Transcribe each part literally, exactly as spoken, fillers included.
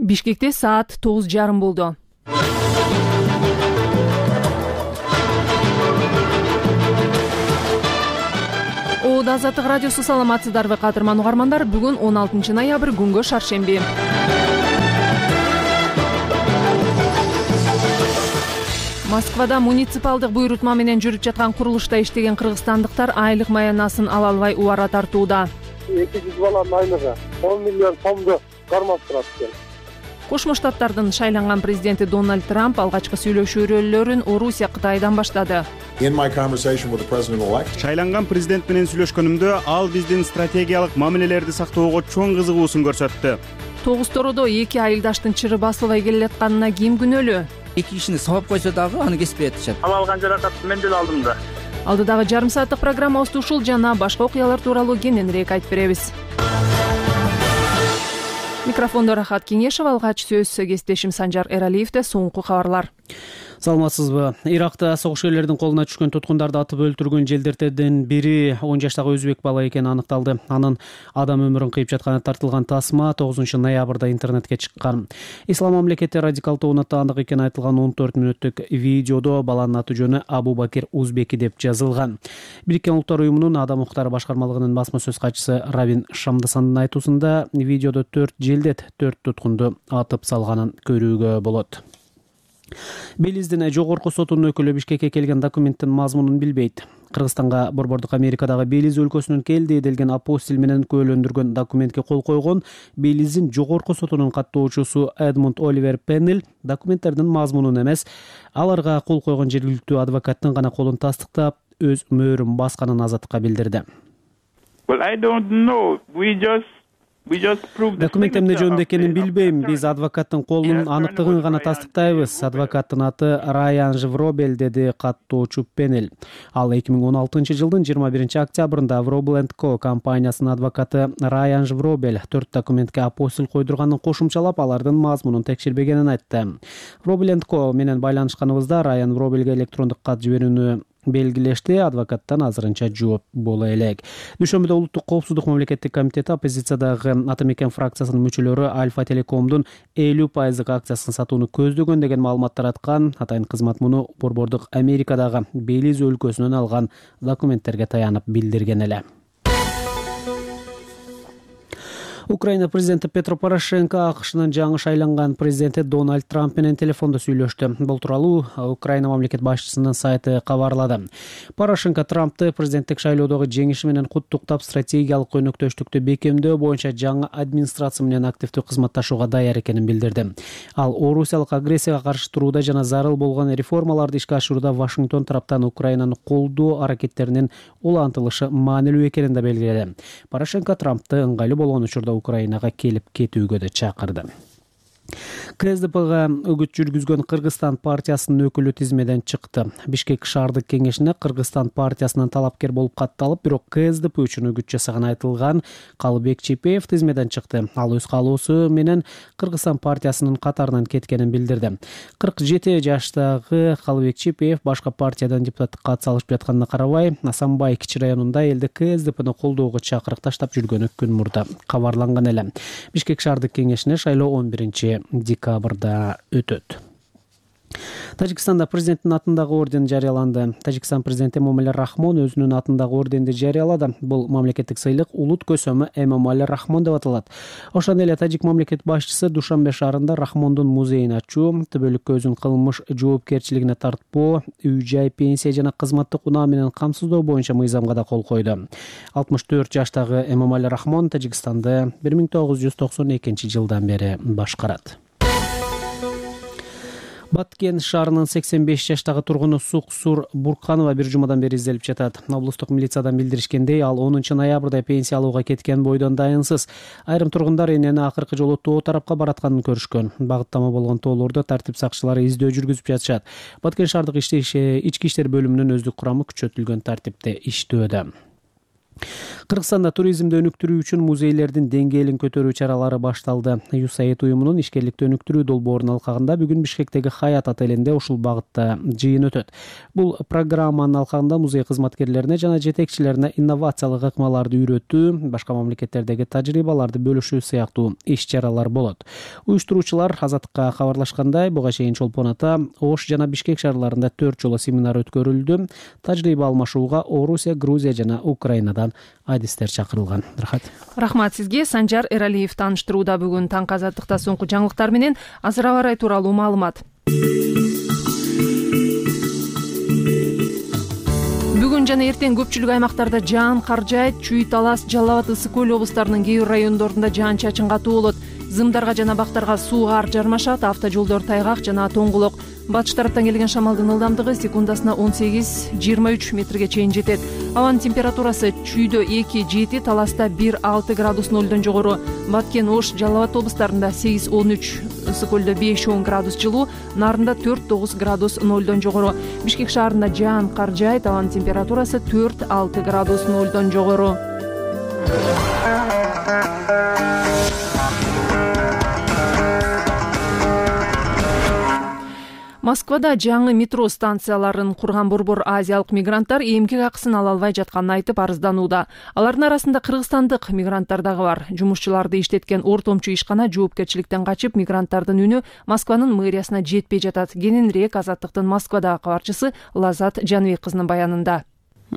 Бишкекте саат тогуз жарым болду. Оод Азаттык радиосу, саламатсыздарбы кадырман угармандар? Бүгүн он алтынчы ноябрь, күнгө шаршемби. Москвада муниципалдык буйрутма менен жүрүп жаткан курулушта иштеген кыргызстандыктар айлык маянасын ала албай убара тартууда. эки жүз баланын айлыгы он миллион сомду кармап турат экен. Кошмо Штаттардын шайланган президенти Дональд Трамп алгачкы сүйлөшүүлөрүн Орусия Кытайдан баштады. Шайланган президент менен сүйлөшкөнүмдө ал биздин стратегиялык мамилелерди сактоого чоң кызыгуусун көрсөттү. Тогуз тородо эки айылдаштын чыры басылбай келатканына ким күнөөлүү? Эки кишини сабап койсо дагы аны кеспей атышат. Ал алган жаракатты мен деле алдым да. Алдыдагы жарым сааттык программабызда ушул жана башка окуялар тууралуу кененирээк айтып беребиз. Микрофондо Рахат Кеңешев, алгач сөз кесиптешим Санжар Эралиевде. Соңку кабарлар. Саламатсызбы? Иракта согушкерлердин колуна түшкөн туткундарды атып өлтүргөн желдертердин бири он жаштагы өзбек бала экени аныкталды. Анын адам өмүрүн кыйып жатканы тартылган тасма тогузунчу ноябрда интернетке чыккан. Ислам мамлекети радикалдуу унаттандык экени айтылган он төрт мүнөттүк видеодо баланын аты жөнү Абу Бакир Узбеки деп жазылган. Бириккен Улуттар уюмунун Адам укуктары башкармалыгынын басма сөз катчысы Равин Шамдасандын айтуусунда видеодо төрт желдет төрт туткунду атып салганын көрүүгө болот. Белиздин жогорку сотунун өкүлү Бишкекке келген документтин мазмунун билбейт. Кыргызстанга борбордук Америкадагы Белиз өлкөсүнүн келди делген апостил менен күбөлөндүргөн документке кол койгон Белиздин жогорку сотунун каттоочусу Эдмунд Оливер Пеннел документтердин мазмунун эмес, аларга кол койгон жергиликтүү адвокаттын гана колун тастыктап, өз мөөрүн басканын Азаттыкка билдирди. Well, I don't know. We just Документ эмне жөнүндө экенин билбейм. Биз адвокаттын колунун аныктыгын гана тастыктайбыз. Адвокаттын аты Райан Вробель, деди каттоочу Пеннел. Ал эки миң он алтынчы жылдын жыйырма биринчи октябрында Вробель энд Ко компаниясынын адвокаты Райан Вробель төрт документке апостил койдурганын кошумчалап, алардын мазмунун текшербегенин айтты. Вробель энд Ко менен байланышканыбызда Райан Вробельге электрондук кат жиберүүнү белгилешти. Адвокаттан азырынча жооп боло элек. Дүйшөмбүдө Улуттук коопсуздук мамлекеттик комитети оппозициядагы Атамекен фракциясынын мүчөлөрү Альфа Телекомдун элүү пайыздык акциясын сатууну көздөгөн деген маалымат тараткан. Атайын кызмат муну борбордук Америкадагы Белиз өлкөсүнөн алган документтерге таянып билдирген эле. Украина президенти Петро Порошенко АКШнын жаңы шайланган президенти Дональд Трамп менен телефондо сүйлөштү. Бул тууралуу Украина мамлекет башчысынын сайты кабарлады. Порошенко Трампты президенттик шайлоодогу жеңиши менен куттуктап, стратегиялык өнөктөштүктү бекемдөө боюнча жаңы администрация менен активдүү кызматташууга даяр экенин билдирди. Ал орусиялык агрессияга каршы турууда жана зарыл болгон реформаларды ишке ашырууда Вашингтон тараптан Украинаны колдоо аракеттеринин улантылышы маанилүү экенин да белгиледи. Порошенко Трампты ыңгайлуу болгон учурда Украинага келип кетүүгө да чакырды. КСДПга үгүт жүргүзгөн Кыргызстан партиясынын өкүлү тизмеден чыкты. Бишкек шаардык кеңешине Кыргызстан партиясынан талапкер болуп катталып, бирок КСДП үчүн үгүт жасаган айтылган Калыбек Чепеев тизмеден чыкты. Ал өз каалоосу менен Кыргызстан партиясынын катарынан кеткенин билдирди. кырк жети жаштагы Калыбек Чепеев башка партиядан депутаттыкка ат салышып жатканына карабай, Асанбай кичи районунда элде КСДПны колдоого чакырык таштап жүргөнү күн мурда кабарланган эле. Бишкек шаардык кеңешине шайлоо он биринчи декабрда өтөт. Тажикстанда президенттин атындагы орден жарыяланды. Тажикстан президенти Эмомали Рахмон өзүнүн атындагы орденди жарыялады. Бул мамлекеттик сыйлык улут көсөмү Эмомали Рахмон деп аталат. Ошондой эле тажик мамлекет башчысы Душанбе шаарында Рахмондун музейин ачуу, төбөлүккө өзүн кылмыш жоопкерчилигине тартпоо, үй-жай, пенсия жана кызматтык унаа менен камсыздоо боюнча мыйзамга да кол койду. алтымыш төрт жаштагы Эмомали Рахмон Тажикстанды бир миң тогуз жүз токсон экинчи жылдан бери башкарат. Баткен шаарынын сексен беш жаштагы тургуну Суксур Бурканова бир жумадан бери изделип жатат. Облустук милициядан билдиришкендей, ал онунчу ноябрда пенсия алууга кеткен бойдон дайынсыз. Айрым тургундар энени акыркы жолу тоо тарапка баратканын көрүшкөн. Багыттама болгон тоолорду тартип сакчылары издөө жүргүзүп жатышат. Баткен шаардык ички иштер бөлүмүнүн өздүк курамы күчөтүлгөн тартипте иштөөдө. Кыргызстанда туризмди өнүктүрүү үчүн музейлердин деңгээлин көтөрүү чаралары башталды. ЮСАИД уюмунун ишкерликти өнүктүрүү долбоорунун алкагында бүгүн Бишкектеги Хаят отелинде ушул багытта жыйын өтөт. Бул программанын алкагында музей кызматкерлерине жана жетекчилерине инновациялык ыкмаларды үйрөтүү, башка мамлекеттердеги тажрыйбаларды бөлүшүү сыяктуу иш-чаралар болот. Уюштуруучулар Азаттыкка кабарлашкандай, буга чейин Чолпон ата, Ош жана Бишкек шаарларында төрт жолу семинар өткөрүлдү. Тажрыйба алмашууга Орусия, Грузия жана Украинадан адистер чакырылган. Рахмат. Рахмат сизге. Санжар Эралиев тааныштырууда бүгүн таңкы Азаттыкта соңку жаңылыктар менен азыр аба ырайы тууралуу маалымат. Бүгүн жана эртең көпчүлүк аймактарда жаан кар жаайт. Чүй, Талас, Жалал Абад, Ысык көл облустарынын кээ бир райондорунда жаан-чачын катуу болот. Зымдарга жана бактарга суу кар жармашат. Автожолдор тайгак жана тоңгулок. Батыш тараптан келген шамалдын ылдамдыгы секундасына он сегиз — жыйырма үч метрге чейин жетет. Абанын температурасы Чүйдө эки — жети, Таласта бир — алты градус нолдон жогору. Баткен, Ош, Жалал Абад облустарында сегиз — он үч, Ысык көлдө беш — он градус жылуу, Нарында төрт — тогуз градус нолдон жогору. Бишкек шаарында жаан кар жаайт. Абанын температурасы төрт — алты градус нолдон жогору. Москвада жаңы метро станцияларын курган борбор азиялык мигранттар эмгек акысын ала албай жатканын айтып арызданууда. Алардын арасында кыргызстандык мигранттар дагы бар. Жумушчуларды иштеткен ортомчу ишкана жоопкерчиликтен качып, мигранттардын үнү Москванын мэриясына жетпей жатат. Кененирээк Азаттыктын Москвадагы кабарчысы Лазат Жаныбек кызынын баянында.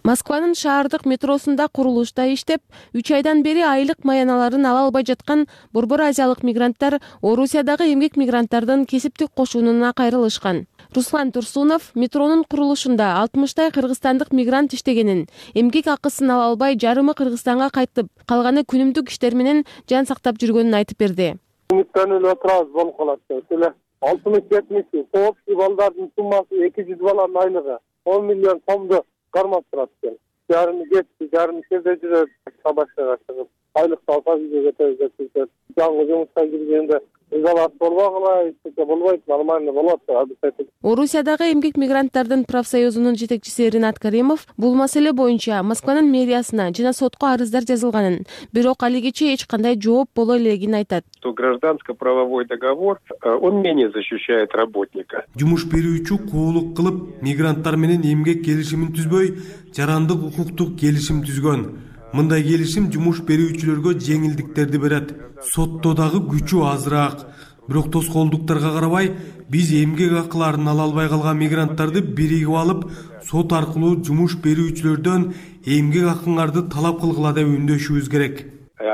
Москванын шаардык метросунда курулушта иштеп, үч айдан бери айлык маяналарын ала албай жаткан борбор азиялык мигранттар Орусиядагы эмгек мигранттардын кесиптик кошунуна кайрылышкан. Руслан Турсунов метронун курулушунда алтымыштай кыргызстандык мигрант иштегенин, эмгек акысын ала албай жарымы Кыргызстанга кайтып, калганы күнүмдүк иштер менен жан сактап жүргөнүн айтып берди. Үмүттөнүп отурабыз болуп калат эле. алтымыш жетимиш коопсуз балдардын суммасы эки жүз баланын айлыгы он миллион сомду кармап турат экен. Жарымы кетти, жарымы жерде жүрөт, сабашка чыгып, айлыкты алса үйгө кетебиз деп. Жаңы жумушка киргенде изолат болбогула, эчтеке болбойт, нормально болот деп. Орусиядагы эмгек мигранттардын профсоюзунун жетекчиси Ринат Каримов бул маселе боюнча Москванын мэриясына жана сотко арыздар жазылганын, бирок алигече эч кандай жооп боло элегин айтат. То гражданско-правовой договор, он менее защищает работника. Жумуш берүүчү куулук кылып, мигранттар менен эмгек келишимин түзбөй, жарандык укуктук келишим түзгөн. Мындай келишим жумуш берүүчүлөргө жеңилдиктерди берет. Сотто дагы күчү азыраак. Бирок тоскоолдуктарга карабай, биз эмгек акыларын ала албай калган мигранттарды биригип алып, сот аркылуу жумуш берүүчүлөрдөн эмгек акыңарды талап кылгыла деп үндөшүбүз керек.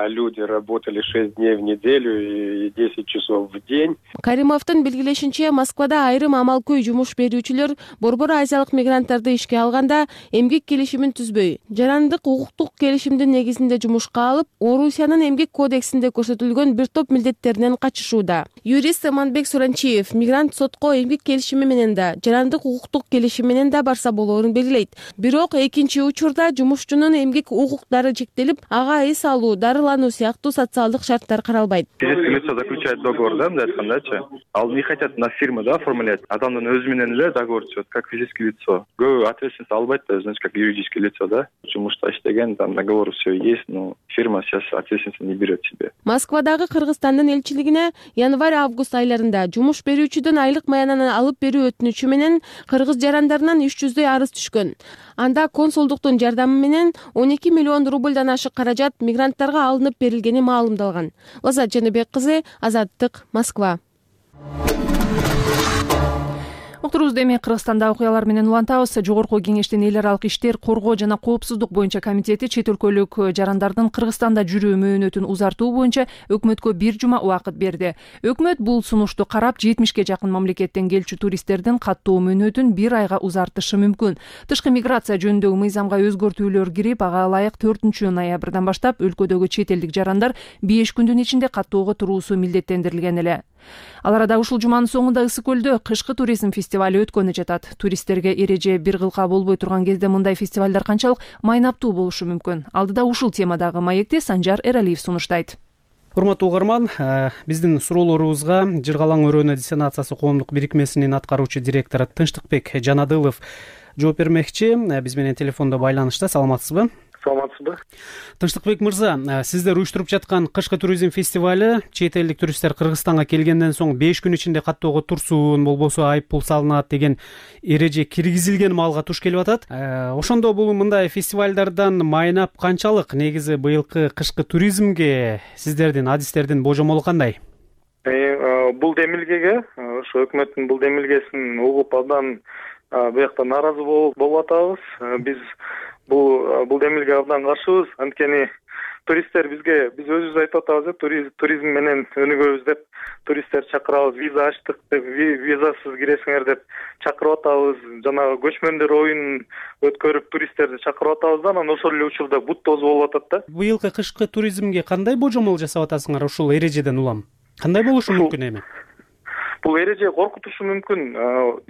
Люди работали шесть дней в неделю и десять часов в день. Каримовдун белгилешинче, Москвада айрым амалкөй жумуш берүүчүлөр борбор азиялык мигранттарды ишке алганда эмгек келишимин түзбөй, жарандык укуктук келишимдин негизинде жумушка алып, Орусиянын эмгек кодексинде көрсөтүлгөн бир топ милдеттеринен качышууда. Юрист Аманбек Суранчиев мигрант сотко эмгек келишими менен да, жарандык укуктук келишим менен да барса болоорун белгилейт. Бирок экинчи учурда жумушчунун эмгек укуктары чектелип, ага эс алуу, дарылануу сыяктуу социалдык шарттар каралбайт. Физическое лицо заключает договор, да, мындай айткандачы. Ал не хотят на фирму, да, оформлять. Адамдын өзү менен эле договор түзөт, как физическое лицо. Көбү ответственность албайт да, значит, как юридическое лицо, да. Жумушта иштеген, там договор все есть, но фирма сейчас ответственность не берет себе. Москвадагы Кыргызстандын элчилигине январь-август айларында жумуш берүүчүдөн айлык маянаны алып берүү өтүнүчү менен кыргыз жарандарынан үч жүздөй арыз түшкөн. Анда консулдуктун жардамы менен он эки миллион рубльдан ашык каражат мигранттарга алынып берилгени маалымдалган. Лазат Жаныбек кызы, Азаттык, Москва. Уктурубузду эми Кыргызстанда окуялар менен улантабыз. Жогорку кеңештин эл аралык иштер, коргоо жана коопсуздук боюнча комитети чет өлкөлүк жарандардын Кыргызстанда жүрүү мөөнөтүн узартуу боюнча өкмөткө бир жума убакыт берди. Өкмөт бул сунушту карап, жетимишке жакын мамлекеттен келчү туристтердин каттоо мөөнөтүн бир айга узартышы мүмкүн. Тышкы миграция жөнүндөгү мыйзамга өзгөртүүлөр кирип, ага ылайык төртүнчү ноябрдан баштап өлкөдөгү чет элдик жарандар беш күндүн ичинде каттоого туруусу милдеттендирилген эле. Ал арада ушул жуманын соңунда Ысык көлдө кышкы туризм фестивали өткөнү жатат. Туристтерге эреже бир кылка болбой турган кезде мындай фестивалдар канчалык майнаптуу болушу мүмкүн? Алдыда ушул темадагы маекти Санжар Эралиев сунуштайт. Урматтуу угарман, биздин суроолорубузга Жыргалаң өрөөнө диссонациясы коомдук бирикмесинин аткаруучу директору Тынчтыкбек Жанадылов жооп бермекчи. Биз менен телефондо байланышта. Саламатсызбы? саламатсызбы? Тынчтыкбек мырза, сиздер уюштуруп жаткан кышкы туризм фестивалы чет элдик туристтер Кыргызстанга келгенден соң беш күн ичинде каттоого турсун, болбосо айып пул салынат деген эреже киргизилген маалга туш келип атат. Ошондо бул мындай фестивалдардан майнап канчалык? Негизи быйылкы кышкы туризмге сиздердин адистердин божомолу кандай? Бул демилгеге, ошо өкмөттүн бул демилгесин угуп абдан буякта нааразы болуп атабыз. Биз бул бул демилге абдан каршыбыз. Анткени туристтер бизге биз өзүбүз айтып атабыз, туризм менен өнүгөбүз деп туристтер чакырабыз, виза ачтык деп, визасыз киресиңер деп чакырып атабыз. Жанагы көчмөндөр оюнун өткөрүп туристтерди чакырып атабыз да, анан ошол эле учурда бут тозу болуп атат да. Быйылкы кышкы туризмге кандай божомол жасап атасыңар ушул эрежеден улам? Кандай болушу мүмкүн эми? Бул эреже коркутушу мүмкүн,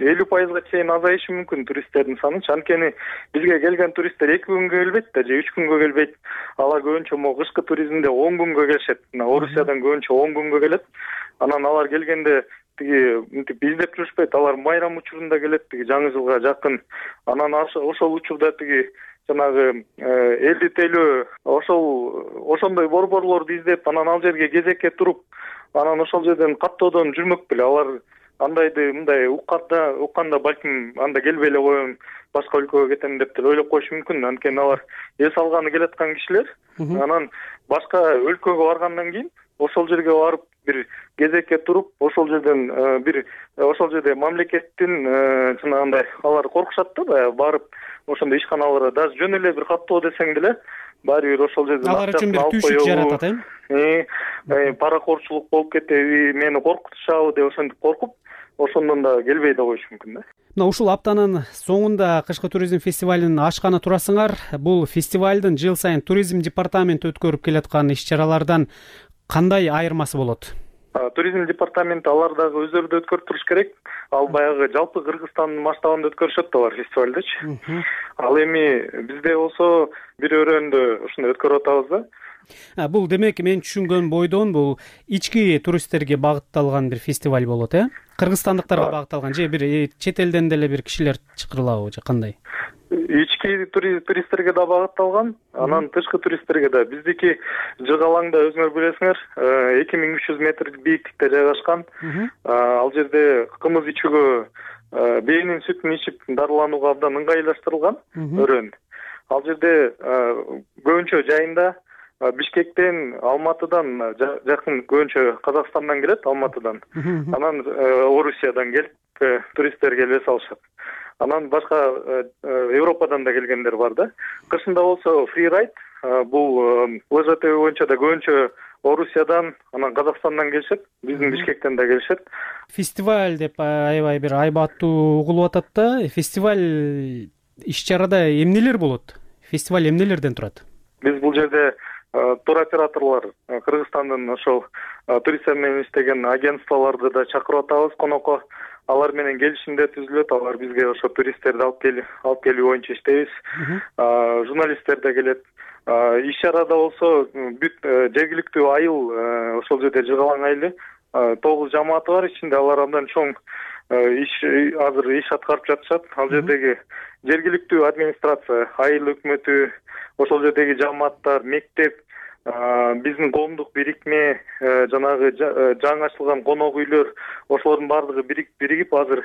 элүү пайызга чейин азайышы мүмкүн туристтердин саны. Анткени бизге келген туристтер эки күнгө келбейт да, же үч күнгө келбейт. Алар көбүнчө могу кышкы туризмде он күнгө келишет. Орусиядан көбүнчө он күнгө келет. Анан алар келгенде тиги мынтип издеп жүрүшпөйт. Алар майрам учурунда келет, тиги жаңы жылга жакын. Анан ошол учурда тиги жанагы элди тейлөө ошол ошондой борборлорду издеп, анан ал жерге кезекке туруп, анан ошол жерден каттоодон жүрмөк беле. Алар андайды мындай укканда укканда балким анда келбей эле коем, башка өлкөгө кетем деп деле ойлоп коюшу мүмкүн. Анткени алар эс алганы келаткан кишилер. Анан башка өлкөгө баргандан кийин ошол жерге барып бир кезекке туруп, ошол жерден бир ошол жерде мамлекеттин жанагындай алар коркушат да, баягы барып ошондой ишканаларга даже жөн эле бир каттоо десең деле баары бир ошол жерден алар үчүн бир түйшүк жаратат, э? Паракорчулук болуп кетеби, мени коркутушабы деп ошентип коркуп, ошондон да келбей да коюшу мүмкүн да. Мына ушул аптанын соңунда кышкы туризм фестивалын ачканы турасыңар. Бул фестивалдын жыл сайын туризм департаменти өткөрүп келаткан иш-чаралардан кандай айырмасы болот? Туризм департаменти алар дагы өздөрү да өткөрүп туруш керек. Ал баягы жалпы Кыргызстандын масштабында өткөрүшөт алар фестивалдычы. Ал эми бизде болсо бир өрөөндө ушуну өткөрүп атабыз да. Бул демек мен түшүнгөн бойдон бул ички туристтерге багытталган бир фестиваль болот, э? Кыргызстандыктарга багытталган же бир чет элден деле бир кишилер чакырылабы же кандай? Ички туристтерге да багытталган, анан тышкы туристтерге да. Биздики Жыгалаңда өзүңөр билесиңер, эки миң үч жүз метр бийиктикте жайгашкан. Ал жерде кымыз ичүүгө, бээнин сүтүн ичип дарыланууга абдан ыңгайлаштырылган өрөөн. Ал жерде көбүнчө жайында Бишкектен, Алматыдан жакын көбүнчө Казакстандан келет, Алматыдан. Анан Орусиядан келип туристтер келип эс алышат. Анан башка Европадан да келгендер бар да. Кышында болсо фрирайд, бул лыжа тебүү боюнча да көбүнчө Орусиядан, анан Казакстандан келишет, биздин Бишкектен да келишет. Фестиваль деп аябай бир айбаттуу угулуп атат да. Фестиваль иш-чарада эмнелер болот? Фестиваль эмнелерден турат? Биз бул жерде туроператорлор, Кыргызстандын ошол туристтер менен иштеген агентстволорду да чакырып атабыз конокко. Алар менен келишимдер түзүлөт, алар бизге ошо туристтерди алып келип алып келүү боюнча иштейбиз. Журналисттер да келет. Иш-чарада болсо бүт жергиликтүү айыл, ошол жерде Жыгалаң айылы тогуз жамааты бар, ичинде алар абдан чоң иш азыр иш аткарып жатышат. Ал жердеги жергиликтүү администрация, айыл өкмөтү, ошол жердеги жамааттар, мектеп, биздин коомдук бирикме, жанагы жаңы ачылган конок үйлөр, ошолордун баардыгы биригип азыр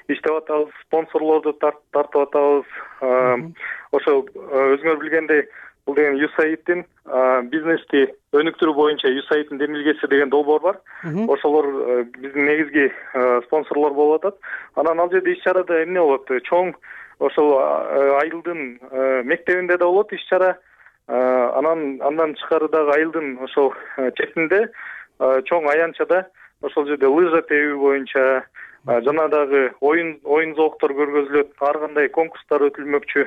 иштеп атабыз, спонсорлорду тартып атабыз. Ошо өзүңөр билгендей, бул деген ю эс эй айдтин бизнести өнүктүрүү боюнча ю эс эй айдтин демилгеси деген долбоор бар. Ошолор биздин негизги спонсорлор болуп атат. Анан ал жерде иш-чарада эмне болот? Чоң ошол айылдын мектебинде да болот иш-чара. Анан андан тышкары дагы айылдын ошол четинде чоң аянтчада ошол жерде лыжа тебүү боюнча жана дагы оюн оюн зооктор көргөзүлөт, ар кандай конкурстар өтүлмөкчү.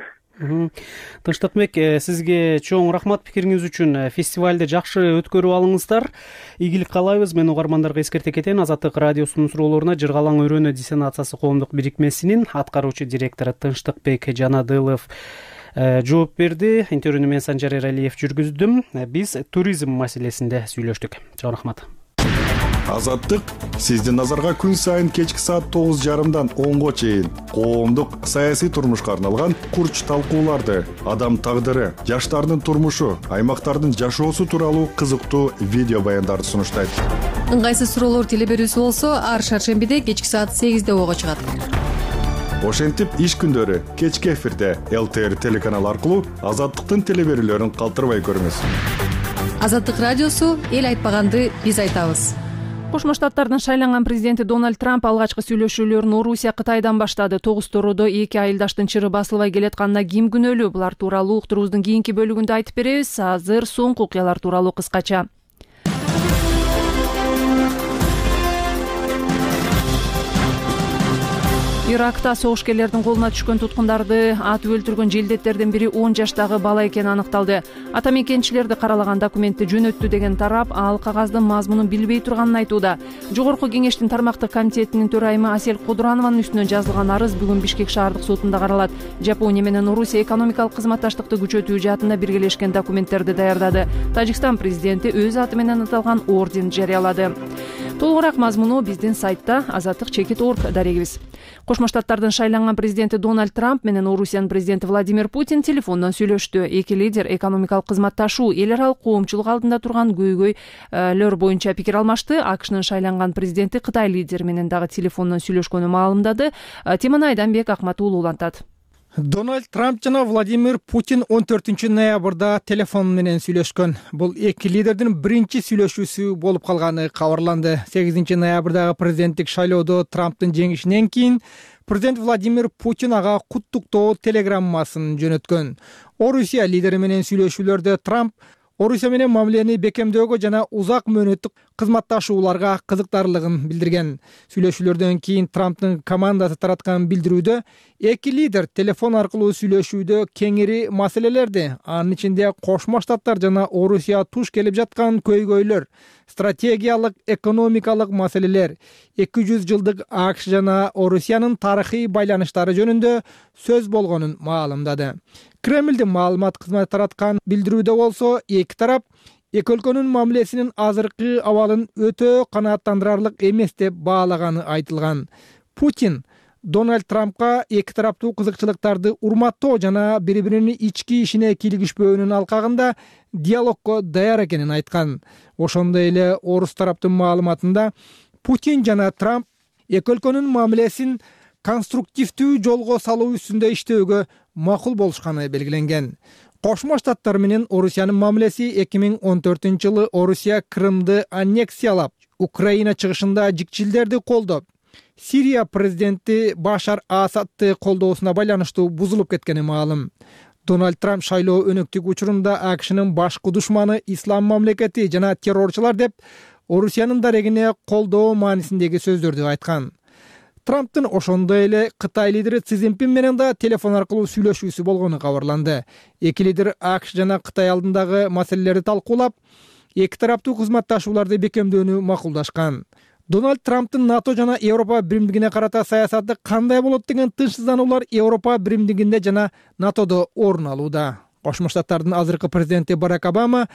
Тынчтыкбек, сизге чоң рахмат пикириңиз үчүн. Фестивалды жакшы өткөрүп алыңыздар. Ийгилик каалайбыз. Мен угармандарга эскерте кетейин. Азаттык радиосунун суроолоруна Жыргалаң өрөөнү диссенациясы коомдук бирикмесинин аткаруучу директору Тынчтыкбек Жанадылов жооп берди. Интервьюну мен Санжар Эралиев жүргүздүм. Биз туризм маселесинде сүйлөштүк. Чоң рахмат. Азаттык сиздин назарга күн сайын кечки саат тогуз жарымдан онго чейин коомдук саясий турмушка арналган курч талкууларды, адам тагдыры, жаштардын турмушу, аймактардын жашоосу тууралуу кызыктуу видео баяндарды сунуштайт. Ыңгайсыз суроолор теле берүүсү болсо ар шаршембиде кечки саат сегизде ого чыгат. Ошентип иш күндөрү кечки эфирде эл тэ эр телеканалы аркылуу Азаттыктын теле берүүлөрүн калтырбай көрүңүз. Азаттык радиосу эл айтпаганды биз айтабыз. Кошмо Штаттардын шайланган президенти Дональд Трамп алгачкы сүйлөшүүлөрүн Орусия Кытайдан баштады. Тогуз тородо эки айылдаштын чыры басылбай келатканына ким күнөөлүү? Булар тууралуу уктуруубуздун кийинки бөлүгүндө айтып беребиз. Азыр соңку окуялар тууралуу кыскача. Иракта согушкерлердин колуна түшкөн туткундарды атып өлтүргөн желдеттердин бири он жаштагы бала экени аныкталды. Ата мекенчилерди каралаган документти жөнөттү деген тарап ал кагаздын мазмунун билбей турганын айтууда. Жогорку кеңештин тармактык комитетинин төрайымы Асель Кудурованын үстүнөн жазылган арыз бүгүн Бишкек шаардык сотунда каралат. Жапония менен Орусия экономикалык кызматташтыкты күчөтүү жаатында биргелешкен документтерди даярдады. Тажикстан президенти өз аты менен аталган орден жарыялады. Толугураак мазмуну биздин сайтта азаттык чекит точка орг дарегибиз. Кошмо Штаттардын шайланган президенти Дональд Трамп менен Орусиянын президенти Владимир Путин телефондон сүйлөштү. Эки лидер экономикалык кызматташуу, эл аралык коомчулук алдында турган көйгөйлөр боюнча пикир алмашты. АКШнын шайланган президенти Кытай лидери менен дагы телефондон сүйлөшкөнү маалымдады. Теманы Айданбек Акматуулу улантат. Дональд Трамп жана Владимир Путин он төртүнчү ноябрда телефон менен сүйлөшкөн. Бул эки лидердин биринчи сүйлөшүүсү болуп калганы кабарланды. сегизинчи ноябрдагы президенттик шайлоодо Трамптын жеңишинен кийин президент Владимир Путин ага куттуктоо телеграммасын жөнөткөн. Орусия лидери менен сүйлөшүүлөрдө Трамп Орусия менен мамилени бекемдөөгө жана узак мөөнөттүк кызматташууларга кызыктарлыгын билдирген. Сүйлөшүүлөрдөн кийин Трамптын командасы тараткан билдирүүдө эки лидер телефон аркылуу сүйлөшүүдө кеңири маселелерди, анын ичинде Кошмо Штаттар жана Орусия туш келип жаткан көйгөйлөр, стратегиялык, экономикалык маселелер, эки жүз жылдык АКШ жана Орусиянын тарыхый байланыштары жөнүндө сөз болгонун маалымдады. Кремлдин маалымат кызматы тараткан билдирүүдө болсо, эки тарап эки өлкөнүн мамилесинин азыркы абалын өтө канааттандырарлык эмес деп баалаганы айтылган. Путин Дональд Трампка эки тараптуу кызыкчылыктарды урматтоо жана бири-биринин ички ишине кийлигишпөөнүн алкагында диалогко даяр экенин айткан. Ошондой эле орус тараптын маалыматында Путин жана Трамп эки өлкөнүн мамилесин конструктивдүү жолго салуу үстүндө иштөөгө макул болушканы белгиленген. Кошмо Штаттар менен Орусиянын мамилеси эки миң он төртүнчү жылы Орусия Крымды аннексиялап, Украина чыгышында жикчилдерди колдоп, Сирия президенти Башар Асадты колдоосуна байланыштуу бузулуп кеткени маалым. Дональд Трамп шайлоо өнөктүк учурунда АКШнын башкы душманы ислам мамлекети жана террорчулар деп Орусиянын дарегине колдоо маанисиндеги сөздөрдү айткан. Трамптын ошондой эле Кытай лидери Си Цзиньпин менен да телефон аркылуу сүйлөшүүсү болгону кабарланды. Эки лидер АКШ жана Кытай алдындагы маселелерди талкуулап, эки тараптуу кызматташууларды бекемдөөнү макулдашкан. Дональд Трамптын НАТО жана Европа биримдигине карата саясаты кандай болот деген тынчсыздануулар Европа биримдигинде жана НАТОдо орун алууда. Кошмо Штаттардын азыркы президенти Барак Обама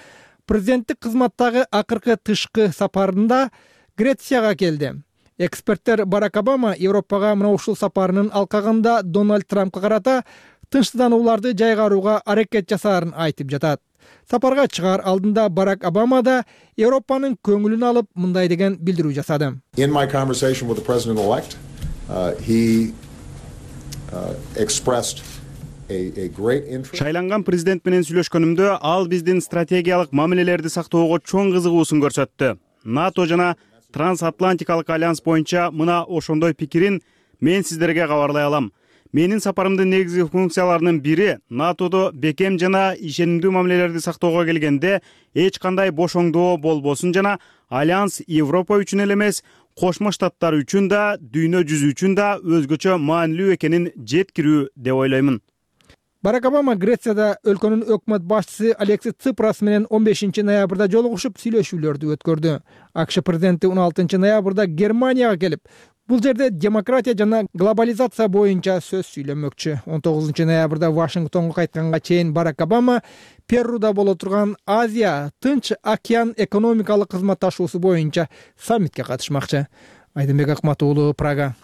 президенттик кызматтагы акыркы тышкы сапарында Грецияга келди. Эксперттер Барак Обама Европага мына ушул сапарынын алкагында Дональд Трампка карата тынчсызданууларды жайгарууга аракет жасаарын айтып жатат. Сапарга чыгаар алдында Барак Обама да Европанын көңүлүн алып мындай деген билдирүү жасады. In my conversation with the president-elect, uh, he uh, expressed a, a great interest. Шайланган президент менен сүйлөшкөнүмдө ал биздин стратегиялык мамилелерди сактоого чоң кызыгуусун көрсөттү. НАТО жана Трансатлантикалык альянс боюнча мына ошондой пикирин мен сиздерге кабарлай алам. Менин сапарымдын негизги функцияларынын бири НАТОдо бекем жана ишенимдүү мамилелерди сактоого келгенде эч кандай бошоңдоо болбосун жана альянс Европа үчүн эле эмес, Кошмо Штаттар үчүн да, дүйнө жүзү үчүн да өзгөчө маанилүү экенин жеткирүү деп ойлоймун. Барак Обама Грецияда өлкөнүн өкмөт башчысы Алексис Ципрас менен он бешинчи ноябрда жолугушуп сүйлөшүүлөрдү өткөрдү. АКШ президенти он алтынчы ноябрда Германияга келип, бул жерде демократия жана глобализация боюнча сөз сүйлөмөкчү. он тогузунчу ноябрда Вашингтонго кайтканга чейин Барак Обама Перуда боло турган Азия Тынч океан экономикалык кызматташуусу боюнча саммитке катышмакчы. Айдынбек Акмат уулу, Прага.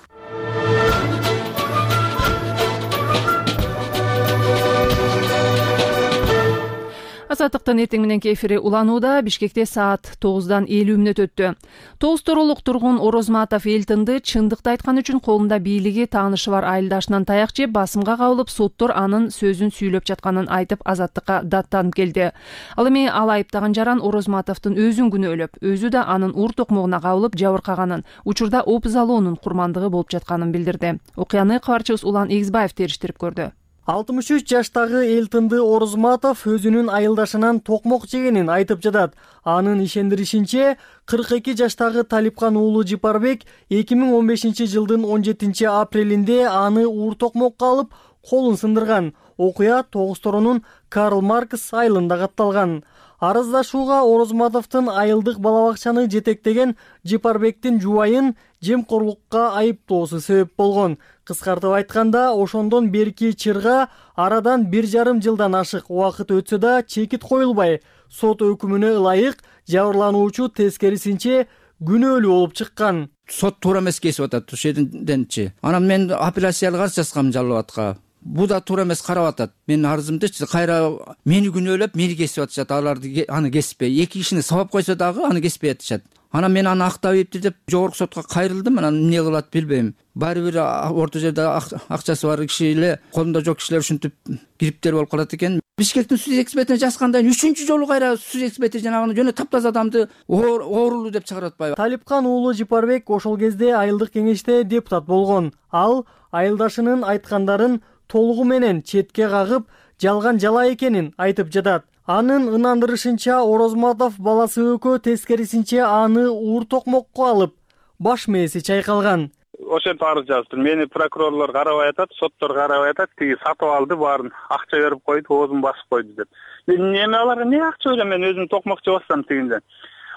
Азаттыктын эртең мененки эфири уланууда. Бишкекте саат тогуздан элүү мүнөт өттү. тогуз торолук тургун Орозматов Элтинди чындыкты айткан үчүн колунда бийлиги, таанышы бар айылдашынан таяк жеп, басымга кабылып, соттор анын сөзүн сүйлөп жатканын айтып, азаттыкка даттанып келди. Ал эми ал айыптаган жаран Орозматовдун өзүн күнөөлөп, өзү да анын ур токмогуна кабылып жабыркаганын, учурда опузалоонун курмандыгы болуп жатканын билдирди. Окуяны кабарчыбыз Улан Эгизбаев териштирип көрдү. алтымыш үч жаштагы Элтинди Орозматов өзүнүн айылдашынан токмок жегенин айтып жатат. Анын ишендиришинче, кырк эки жаштагы Талипкан уулу Жипарбек эки миң он бешинчи жылдын он жетинчи апрелинде аны ур токмокко алып, колун сындырган. Окуя тогуз торонун Карл Маркс айылында катталган. Арыздашууга Орозматовдун айылдык бала бакчаны жетектеген Жипарбектин жубайын жемкорлукка айыптоосу себеп болгон. Кыскартып айтканда, ошондон берки чырга арадан бир жарым жылдан ашык убакыт өтсө да чекит коюлбай, сот өкүмүнө ылайык жабырлануучу тескерисинче күнөөлүү болуп чыккан. Сот туура эмес кесип атат ошол жерденчи. Анан мен апелляциялык арыз жазгам жалобатка. Бул да туура эмес карап атат. Менин арызымдычы кайра мени күнөөлөп, мени кесип атышат. Аларды аны кеспей, эки кишини сабап койсо дагы аны кеспей атышат. Анан мен аны актабейипти деп жогорку сотко кайрылдым. Анан эмне кылат билбейм. Баары бир орто жерде акчасы бар киши эле, колунда жок кишилер ушинтип кириптер болуп калат экен. Бишкектин суд экспертине жазгандан үчүнчү жолу кайра суд эксперти жанагы жөнө таптаза адамды оорулуу деп чыгарып атпайбы. Талипкан уулу Жипарбек ошол кезде айылдык кеңеште депутат болгон. Ал айылдашынын айткандарын толугу менен четке кагып, жалган жала экенин айтып жатат. Анын ынандырышынча, Орозматов баласы өкө тескерисинче аны ур токмокко алып, баш мээси чайкалган. Ошентип арыз жаздым. Мени прокурорлор карабай атат, соттор карабай атат. Тиги сатып алды, баарын акча берип койду, оозун басып койду деп. Мен неме аларга эмне акча берем? Мен өзүм токмок жабасам тигинден.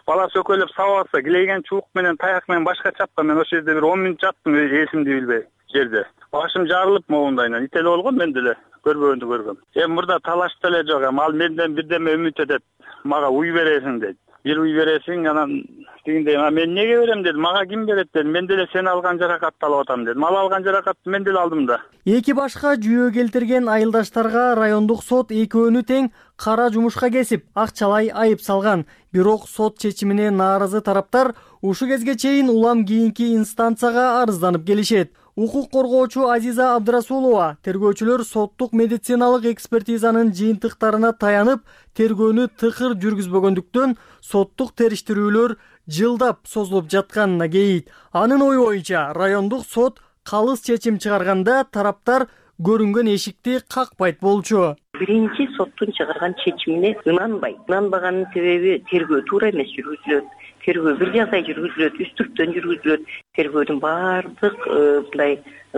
Баласы өкөлөп сабаса, килеген чубук менен, таяк менен башка чапкан. Мен ошол жерде бир он мүнөт жаттым, эсимди билбей жерде. Башым жарылып моундайынан ителе болгон, мен деле көрбөгөндү көргөм. Эми мурда талаш деле жок, эми ал менден бирдеме үмүт этет. Мага уй бересиң дейт. Бир уй бересиң, анан тигиндей, мен эмнеге берем дедим, мага ким берет дедим. Мен деле сен алган жаракатты алып атам дедим. Ал алган жаракатты мен деле алдым да. Эки башка жүйө келтирген айылдаштарга райондук сот экөөнү тең кара жумушка кесип, акчалай айып салган. Бирок сот чечимине нааразы тараптар ушу кезге чейин улам кийинки инстанцияга арызданып келишет. Укук коргоочу Азиза Абдрасулова тергөөчүлөр соттук медициналык экспертизанын жыйынтыктарына таянып, тергөөнү тыкыр жүргүзбөгөндүктөн соттук териштирүүлөр жылдап созулуп жатканына кейит. Анын ою боюнча, райондук сот калыс чечим чыгарганда тараптар көрүнгөн эшикти какпайт болчу. Биринчи соттун чыгарган чечимине ынанбайт. Ынанбаганын себеби тергөө туура эмес жүргүзүлөт. Тергөө бир жагдай жүргүзүлөт, үстүрттөн жүргүзүлөт. Тергөөдүн баардык мындай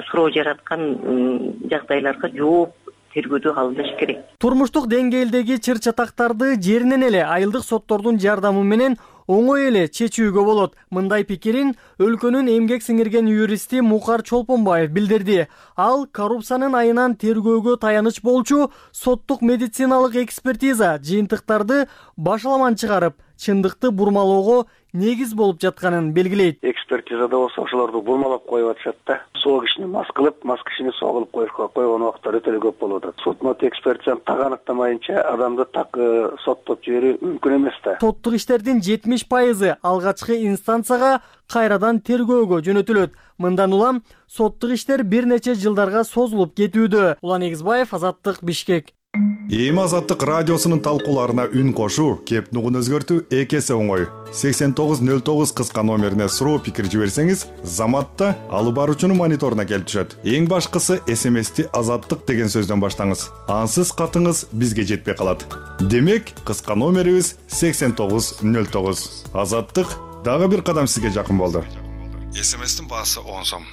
суроо жараткан жагдайларга жооп тергөөдө алыныш керек. Турмуштук деңгээлдеги чыр чатактарды жеринен эле айылдык соттордун жардамы менен оңой эле чечүүгө болот. Мындай пикирин өлкөнүн эмгек сиңирген юристи Мукар Чолпонбаев билдирди. Ал коррупциянын айынан тергөөгө таяныч болчу соттук медициналык экспертиза жыйынтыктарды башаламан чыгарып, чындыкты бурмалоого негиз болуп жатканын белгилейт. Экспертизада болсо ошолорду бурмалап коюп атышат да. Соо кишини мас кылып, мас кишини соо кылып коюшка койгон убактар өтө эле көп болуп атат. Сот мот экспертизаны так аныктамайынча адамды так соттоп жиберүү мүмкүн эмес да. Соттук иштердин жетимиш пайызы алгачкы инстанцияга кайрадан тергөөгө жөнөтүлөт. Мындан улам соттук иштер бир нече жылдарга созулуп кетүүдө. Улан Эгизбаев, Азаттык, Бишкек. Эми Азаттык радиосунун талкууларына үн кошуу, кеп нугун өзгөртүү эки эсе оңой. сексен тогуз нөл тогуз кыска номерине суроо пикир жиберсеңиз, заматта алып баруучунун мониторуна келип түшөт. Эң башкысы эс эм эсти Азаттык деген сөздөн баштаңыз. Ансыз катыңыз бизге жетпей калат. Демек, кыска номерибиз сексен тогуз нөл тогуз. Азаттык дагы бир кадам сизге жакын болду. эс эм эстин баасы он сом.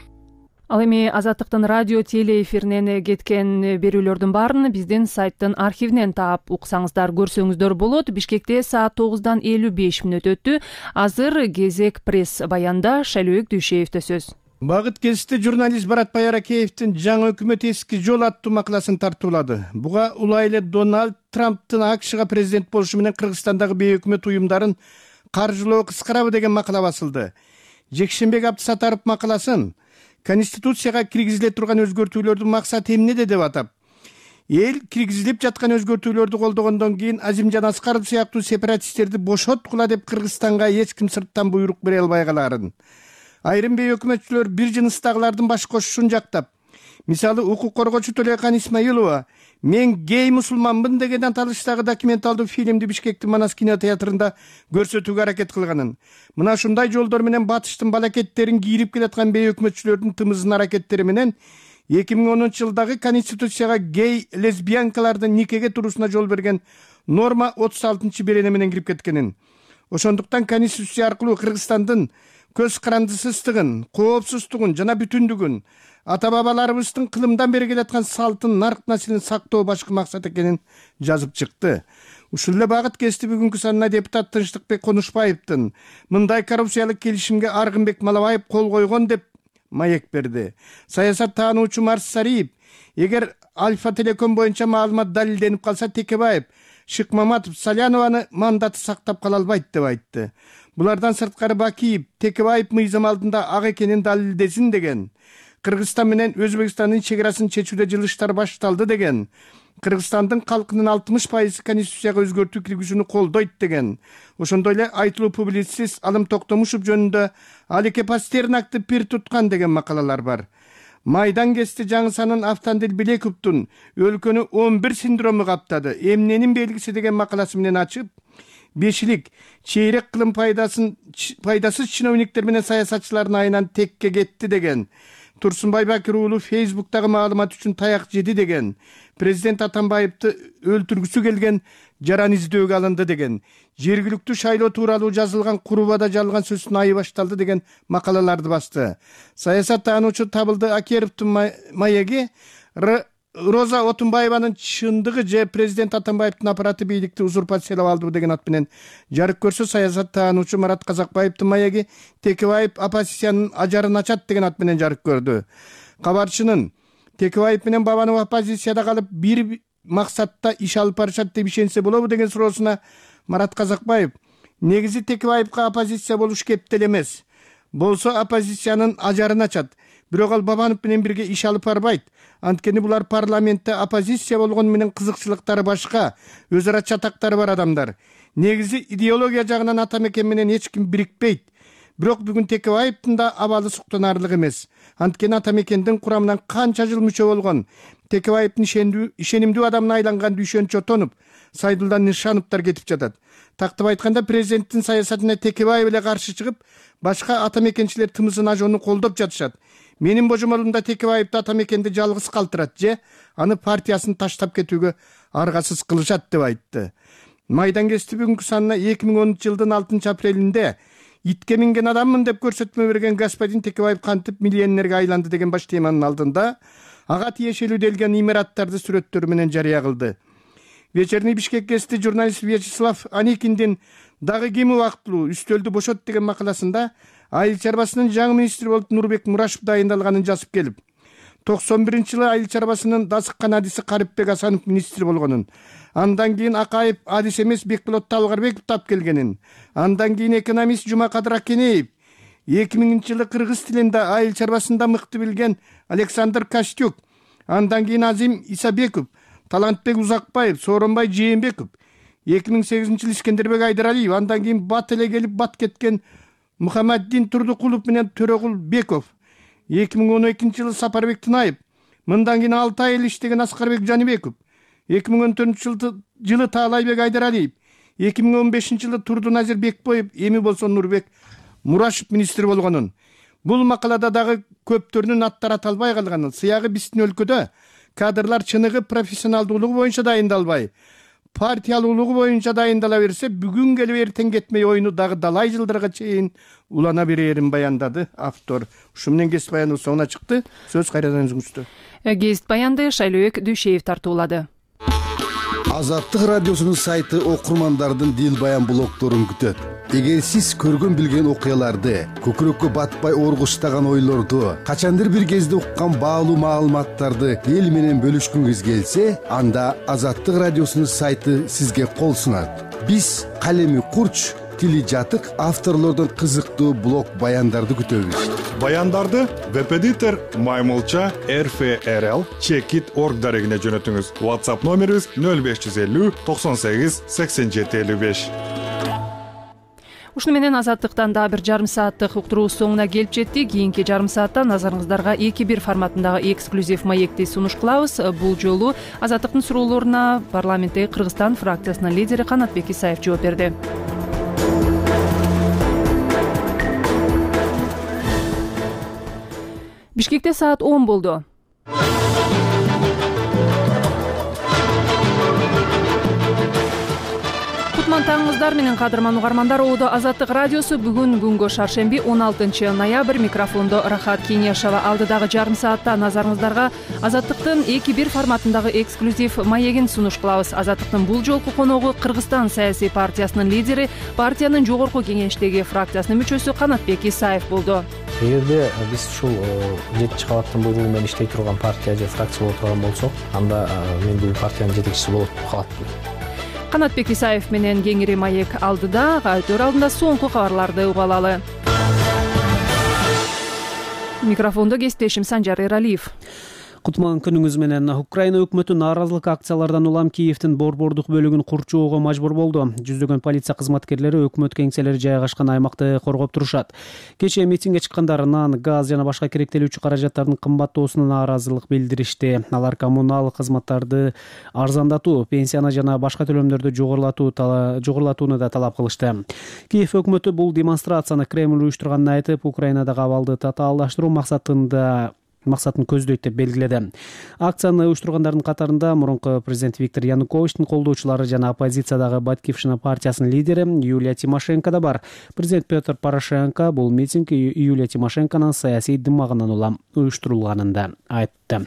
Ал эми Азаттыктын радио теле эфиринен кеткен берүүлөрдүн баарын биздин сайттын архивинен таап уксаңыздар, көрсөңүздөр болот. Бишкекте саат тогуздан элүү беш мүнөт өттү. Азыр кезек пресс баянда Шайлөөк Дүйшеевде сөз. Багыт кесте журналист Баратбай Аракеевдин жаңы өкмөт эски жол аттуу макаласын тартуулады. Буга улайлы Дональд Трамптын АКШга президент болушу менен Кыргызстандагы бейөкмөт уюмдарын каржылоо кыскарабы деген макала басылды. Жекшембек Абдысатаров макаласын Конституцияга киргизиле турган өзгөртүүлөрдүн максаты эмнеде деп атап, эл киргизилип жаткан өзгөртүүлөрдү колдогондон кийин Азимжан Аскаров сыяктуу сепаратисттерди бошоткула деп Кыргызстанга эч ким сырттан буйрук бере албай калаарын, айрым бейөкмөтчүлөр бир жыныстагылардын баш кошушун жактап, мисалы укук коргоочу Төлөкан Исмаилова мен гей мусулманмын деген аталыштагы документалдуу фильмди Бишкектин Манас кинотеатрында көрсөтүүгө аракет кылганын, мына ушундай жолдор менен батыштын балакеттерин кийирип келаткан бейөкмөтчүлөрдүн тымыздын аракеттери менен эки миң онунчу жылдагы Конституцияга гей лесбиянкалардын никеге туруусуна жол берген норма отуз алтынчы берене менен кирип кеткенин, ошондуктан Конституция аркылуу Кыргызстандын көз карандысыздыгын, коопсуздугун жана бүтүндүгүн, ата бабаларыбыздын кылымдан бери келаткан салтын, нарк населин сактоо башкы максат экенин жазып чыкты. Ушул эле багыт кести бүгүнкү санына депутат Тынчтыкбек Конушбаевдин мындай коррупциялык келишимге Аргынбек Малабаев кол койгон деп маек берди. Саясат таануучу Марс Сариев, эгер Альфа Телеком боюнча маалымат далилденип калса, Текебаев, Шыкмаматов, Салянованы мандаты сактап кала албайт деп айтты. Булардан сырткары Бакиев, Текебаев мыйзам алдында ак экенин далилдесин деген. Кыргызстан менен Өзбекстандын чегарасын чечүүдө жылыштар башталды деген. Кыргызстандын калкынын алтымыш пайызы Конституцияга өзгөртүү киргизүүнү колдойт деген. Ошондой эле айтылуу публицист Алым Токтомушев жөнүндө Алике Пастернакты пир туткан деген макалалар бар. Майдан кести Жаңысанын Автандил Билековдун өлкөнү он бир синдрому каптады, эмненин белгиси деген макаласы менен ачып, бешилик чейрек кылым пайдасын пайдасыз чиновниктер менен саясатчылардын айынан текке кетти деген. Турсунбай Бакир уулу Фейсбуктагы маалымат үчүн таяк жеди деген. Президент Атамбаевди өлтүргүсү келген жаран издөөгө алынды деген. Жергиликтүү шайлоо тууралуу жазылган Курубада жалган сөздүн айы башталды деген макалаларды басты. Саясат таануучу Табылды Акеровдун маеги Роза Отунбаеванын чындыгы же президент Атамбаевдин аппараты бийликти узурпациялап алды деген ат менен жарык көрсө, саясат таануучу Марат Казакбаевдин маеги Текебаев оппозициянын ажарын ачат деген ат менен жарык көрдү. Кабарчынын Текебаев менен Бабанов оппозицияда калып бир максатта иш алып барышат деп ишенсе болобу деген суроосуна Марат Казакбаев, негизи Текебаевга оппозиция болуш кептел эмес. Болсо оппозициянын ажарын ачат. Бирок ал Бабанов менен бирге иш алып барбайт. Анткени булар парламентте оппозиция болгон менен кызыкчылыктары башка, өз ара чатактары бар адамдар. Негизи идеология жагынан Атамекен менен эч ким бирикпейт. Бирок бүгүн Текебаевдин да абалы суктанарлык эмес. Анткени Атамекендин курамынан канча жыл мүчө болгон, Текебаевдин ишенимдүү адамына айланган Дүйшөн Чотонов, Сайдулла Нишановдор кетип жатат. Тактап айтканда, президенттин саясатына Текебаев эле каршы чыгып, башка атамекенчилер тымызын ажоону колдоп жатышат. Менин божомолумда Текебаевди Атамекенди жалгыз калтырат же аны партиясын таштап кетүүгө аргасыз кылышат деп айтты. Майдан кести бүгүнкү санына эки миң онунчу жылдын алтынчы апрелинде итке минген адаммын деп көрсөтмө берген господин Текебаев кантип миллионерге айланды деген баш теманын алдында ага тиешелүү делген имараттарды сүрөттөрү менен жарыя кылды. Вечерний Бишкек кести журналист Вячеслав Аникиндин дагы ким убактылуу үстөлдү бошот деген макаласында айыл чарбасынын жаңы министри болуп Нурбек Мурашев дайындалганын жазып келип, токсон биринчи жылы айыл чарбасынын дасыккан адиси Карипбек Асанов министр болгонун, андан кийин Акаев адис эмес Бекболот Талгарбеков тап келгенин, андан кийин экономист Жумакадыр Акенеев, эки миңинчи жылы кыргыз тилинде айыл чарбасында мыкты билген Александр Костюк, андан кийин Азим Исабеков, Талантбек Узакбаев, Сооронбай Жээнбеков, эки миң сегизинчи жылы Искендербек Айдаралиев, андан кийин бат эле келип бат кеткен Мухаммаддин Турдукулов менен Төрөгул Беков, эки миң он экинчи жылы Сапарбек Тынаев, мындан кийин алты ай эл иштеген Аскарбек Жаныбеков, эки миң он төртүнчү жылы Таалайбек Айдаралиев, эки миң он бешинчи жылы Турдуназир Бекбоев, эми болсо Нурбек Мурашев министр болгонун. Бул макалада дагы көптөрүнүн аттары аталбай калганын, сыягы биздин өлкөдө кадрлар чыныгы профессионалдуулугу боюнча дайындалбай, партиялуулугу боюнча дайындала берсе, бүгүн келип эртең кетмей оюну дагы далай жылдарга чейин улана берерин баяндады автор. Ушу менен кесип баяныбыз соңуна чыкты. Сөз кайрадан өзүңүздө. Кесип баянды Шайлообек Дүйшеев тартуулады. Азаттык радиосунун сайты окурмандардын дил баян блогдорун күтөт. Эгер сиз көргөн билген окуяларды, көкүрөккө батпай оргуштаган ойлорду, качандыр бир кезде уккан баалуу маалыматтарды эл менен бөлүшкүңүз келсе, анда Азаттык радиосунун сайты сизге кол сунат. Биз калеми курч, тили жатык авторлордон кызыктуу блог баяндарды күтөбүз. Баяндарды веб-эдитор Маймылча эр эф эр эл чекит орг дарегине жөнөтүңүз. WhatsApp номерибиз нөл беш жүз элүү токсон сегиз сексен жети элүү беш. Ушуну менен Азаттыктан да бир жарым сааттык уктуруубуз соңуна келип жеттик. Кийинки жарым саатта назарыңыздарга эки бир форматындагы эксклюзив маекти сунуш кылабыз. Бул жолу Азаттыктын суроолоруна парламенттеги Кыргызстан фракциясынын лидери Канатбек Исаев жооп берди. Бишкекте саат он болду. Кутман таңыңыздар менен кадырман угармандар. Оодо Азаттык радиосу бүгүн күнгө шаршемби он алтынчы ноябрь. Микрофондо Рахат Кеңешова. Алдыдагы жарым саатта назарыңыздарга Азаттыктын эки бир форматындагы эксклюзив маегин сунуш кылабыз. Азаттыктын бул жолку коногу Кыргызстан саясий партиясынын лидери, партиянын жогорку кеңештеги фракциясынын мүчөсү Канатбек Исаев болду. Эгерде биз ушул жетинчи кабаттын буйругу менен иштей турган партия же фракция боло турган болсок, анда мен бул партиянын жетекчиси болуп калатмын. Канатбек Исаев менен кеңири маек алдыда, өтөр алдында соңку кабарларды уга алалы. Микрофондо кесиптешим Санжар Эралиев. Кутман күнүңүз менен. Украина өкмөтү нааразылык акциялардан улам Киевдин борбордук бөлүгүн курчоого мажбур болду. Жүздөгөн полиция кызматкерлери өкмөт кеңселери жайгашкан аймакты коргоп турушат. Кечээ митингге чыккандар нан, газ жана башка керектелүүчү каражаттардын кымбаттоосуна нааразылык билдиришти. Алар коммуналдык кызматтарды арзандатуу, пенсияны жана башка төлөмдөрдү жогорулатуу жогорулатууну да талап кылышты. Киев өкмөтү бул демонстрацияны Кремль уюштурганын айтып, Украинадагы абалды татаалдаштыруу максатында максатын көздөйт деп белгиледи. Акцияны уюштургандардын катарында мурунку президент Виктор Януковичтин колдоочулары жана оппозициядагы Батькивщина партиясынын лидери Юлия Тимошенко да бар. Президент Петр Порошенко бул митинг Юлия Тимошенконун саясий дымагынан улам уюштурулганын да айтты.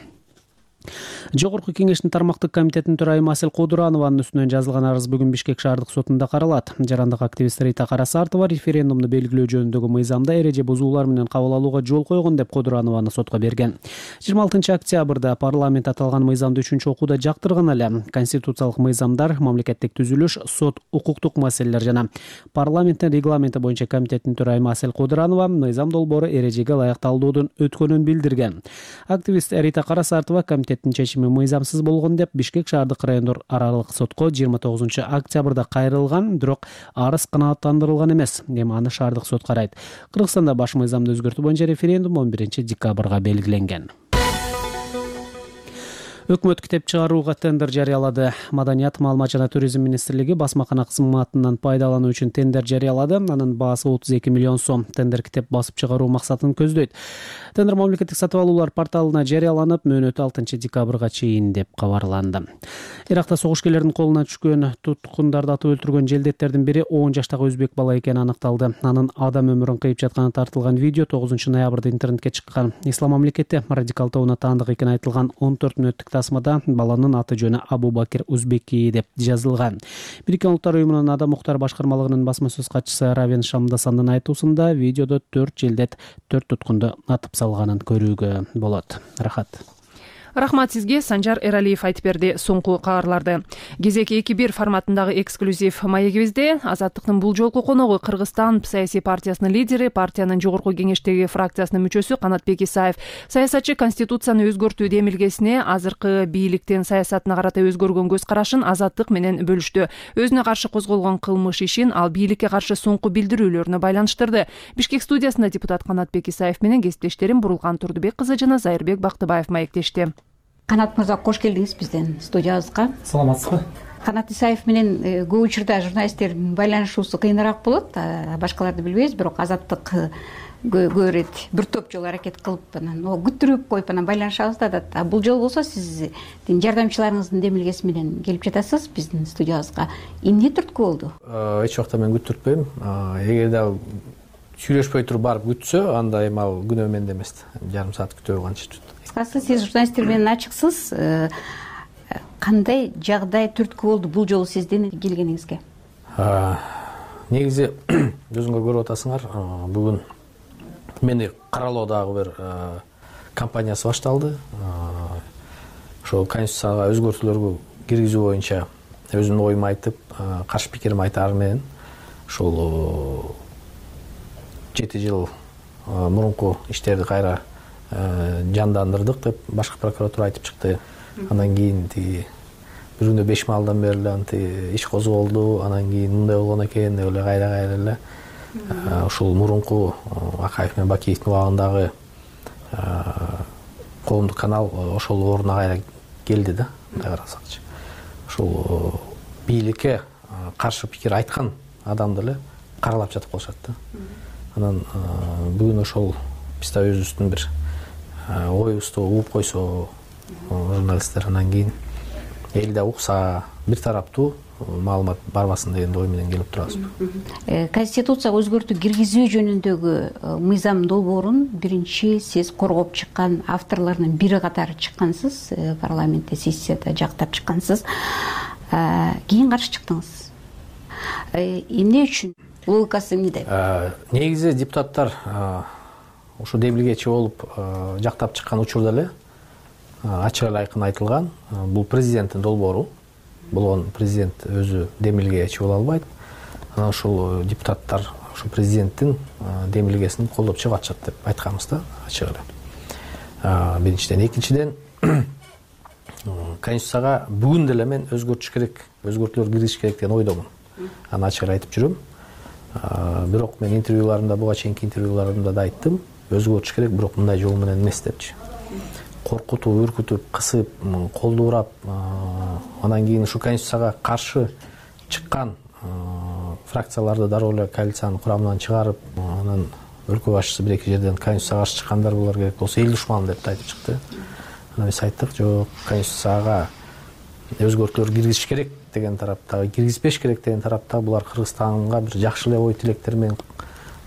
Жогорку кеңештин тармактык комитетинин төрайымы Асель Кодуранованын үстүнөн жазылган арыз бүгүн Бишкек шаардык сотунда каралат. Жарандык активист Рита Карасартова референдумду белгилөө жөнүндөгү мыйзамда эреже бузуулар менен кабыл алууга жол койгон деп Кодуранованы сотко берген. жыйырма алтынчы октябрда парламент аталган мыйзамды үчүнчү окууда жактырган эле. Конституциялык мыйзамдар, мамлекеттик түзүлүш, сот, укуктук маселелер жана парламенттин регламенти боюнча комитеттин төрайымы Асель Кодуранова мыйзам долбоору эрежеге ылайык талдоодон өткөнүн билдирген. Активист Рита Карасартова комитет чечими мыйзамсыз болгон деп Бишкек шаардык райондор аралык сотко жыйырма тогузунчу октябрда кайрылган, бирок арыз канааттандырылган эмес. Эми аны шаардык сот карайт. Кыргызстанда баш мыйзамды өзгөртүү боюнча референдум он биринчи декабрга белгиленген. Өкмөт китеп чыгарууга тендер жарыялады. Маданият, маалымат жана туризм министрлиги басмакана кызматынан пайдалануу үчүн тендер жарыялады. Анын баасы отуз эки миллион сом. Тендер китеп басып чыгаруу максатын көздөйт. Тендер мамлекеттик сатып алуулар порталына жарыяланып, мөөнөтү алтынчы декабрга чейин деп кабарланды. Иракта согушкерлердин колуна түшкөн туткундарды атып өлтүргөн желдеттердин бири он жаштагы өзбек бала экени аныкталды. Анын адам өмүрүн кыйып жатканы тартылган видео тогузунчу ноябрда интернетке чыккан. Ислам мамлекети радикал тобуна таандык экени айтылган он төрт мүнөттүк тасмада баланын аты жөнү Абу Бакир Узбеки деп жазылган. Бириккен Улуттар уюмунун Адам укуктары башкармалыгынын басма сөз катчысы Равен Шамдасандын айтуусунда видеодо төрт желдет төрт туткунду атып салганын көрүүгө болот. Рахат. Рахмат сизге, Санжар Эралиев айтып берди соңку кабарларды. Кезек эки бир форматындагы эксклюзив маегибизде Азаттыктын бул жолку коногу Кыргызстан саясий партиясынын лидери, партиянын жогорку кеңештеги фракциясынын мүчөсү Канатбек Исаев. Саясатчы конституцияны өзгөртүү демилгесине азыркы бийликтин саясатына карата өзгөргөн көз карашын Азаттык менен бөлүштү. Өзүнө каршы козголгон кылмыш ишин ал бийликке каршы соңку билдирүүлөрүнө байланыштырды. Бишкек студиясында депутат Канатбек Исаев менен кесиптештерим Бурулган Турдубек кызы жана Зайырбек Бактыбаев маектешти. Канат мырза, кош келдиңиз биздин студиябызга. Саламатсызбы? Канат Исаев менен көп учурда журналисттердин байланышуусу кыйыныраак болот. Башкаларды билбейбиз, бирок Азаттык көп ирет бир топ жолу аракет кылып анан күттүрүп коюп анан байланышабыз да. А бул жолу болсо сиздин жардамчыларыңыздын демилгеси менен келип жатасыз биздин студиябызга. Эмне түрткү болду? Эч убакта мен күттүртпөйм. Эгерде сүйлөшпөй туруп барып күтсө, анда эми ал күнөө менде эмес. Жарым саат күтөп алганчы. Кыскасы, сиз журналисттер менен ачыксыз. кандай жагдай түрткү болду бул жолу сиздин келгениңизге? Негизи өзүңөр көрүп атасыңар, бүгүн мени каралоодагы бир кампаниясы башталды. Ошол конституцияга өзгөртүүлөргө киргизүү боюнча өзүмдүн оюмду айтып, каршы пикиримди айтаар менен ошол жети жыл мурунку иштерди кайра жандандырдык деп башкы прокуратура айтып чыкты. Андан кийин тиги бир күндө беш маалдан бери эле анты иш козголду, анан кийин мындай болгон экен деп эле кайра кайра эле ушул мурунку Акаев менен Бакиевдин убагындагы коомдук канал ошол ордуна кайра келди да, мындай карасакчы. Ошол бийликке каршы пикир айткан адамды эле каралап жатып калышат да. Анан бүгүн ошол биз да өзүбүздүн бир оюбузду угуп койсо журналисттер, анан кийин эл да укса, бир тараптуу маалымат барбасын деген ой менен келип турабыз. Конституцияга өзгөртүү киргизүү жөнүндөгү мыйзам долбоорун биринчи сиз коргоп чыккан авторлордун бири катары чыккансыз, парламентте сессияда жактап чыккансыз. Кийин каршы чыктыңыз. Эмне үчүн? Логикасы эмнеде? Негизи депутаттар ушу демилгечи болуп жактап чыккан учурда эле ачык эле айкын айтылган, бул президенттин долбоору болгон, президент өзү демилгечи боло албайт. Анан ушул депутаттар ушу президенттин демилгесин колдоп чыгып атышат деп айтканбыз да, ачык эле. Биринчиден, экинчиден конституцияга бүгүн деле мен өзгөртүш керек, өзгөртүүлөр киргизиш керек деген ойдомун. Аны ачык эле айтып жүрөм. Бирок мен интервьюларымда, буга чейинки интервьюларымда да айттым, өзгөртүш керек, бирок мындай жол менен эмес депчи. Коркутуп, үркүтүп, кысып, колдурап, анан кийин ушу конституцияга каршы чыккан фракцияларды дароо эле коалициянын курамынан чыгарып, анан өлкө башчысы бир эки жерден конституцияга каршы чыккандар булар керек болсо эл душманы деп айтып чыкты. Анан биз айттык, жок, конституцияга өзгөртүүлөр киргизиш керек деген тараптагы, киргизбеш керек деген тараптагы булар Кыргызстанга бир жакшы эле ой тилектер менен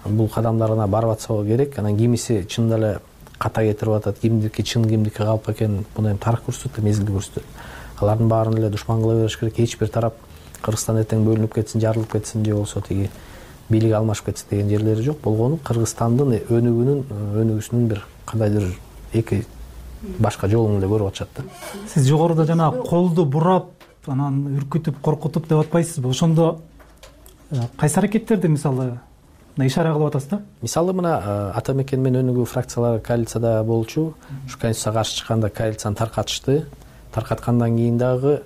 бул кадамдарына барып атса керек. Анан кимиси чында эле ката кетирип атат, кимдики чын, кимдики калп экен, муну эми тарых көрсөтөт, мезгил көрсөтөт. Алардын баарын эле душман кыла бериш керек. Эч бир тарап Кыргызстан эртең бөлүнүп кетсин, жарылып кетсин же болбосо тиги бийлик алмашып кетсин деген жерлери жок. Болгону Кыргызстандын өнүгүүнүн өнүгүүсүнүн бир кандайдыр эки башка жолун эле көрүп атышат да. Сиз жогоруда жана колду бурап, анан үркүтүп, коркутуп деп атпайсызбы? Ошондо кайсы аракеттерди мисалы ишара кылып атасыз да? Мисалы мына ата мекен менен өнүгүү фракциялары коалицияда болчу. Ушу конституцияга каршы чыкканда коалицияны таркатышты. Таркаткандан кийин дагы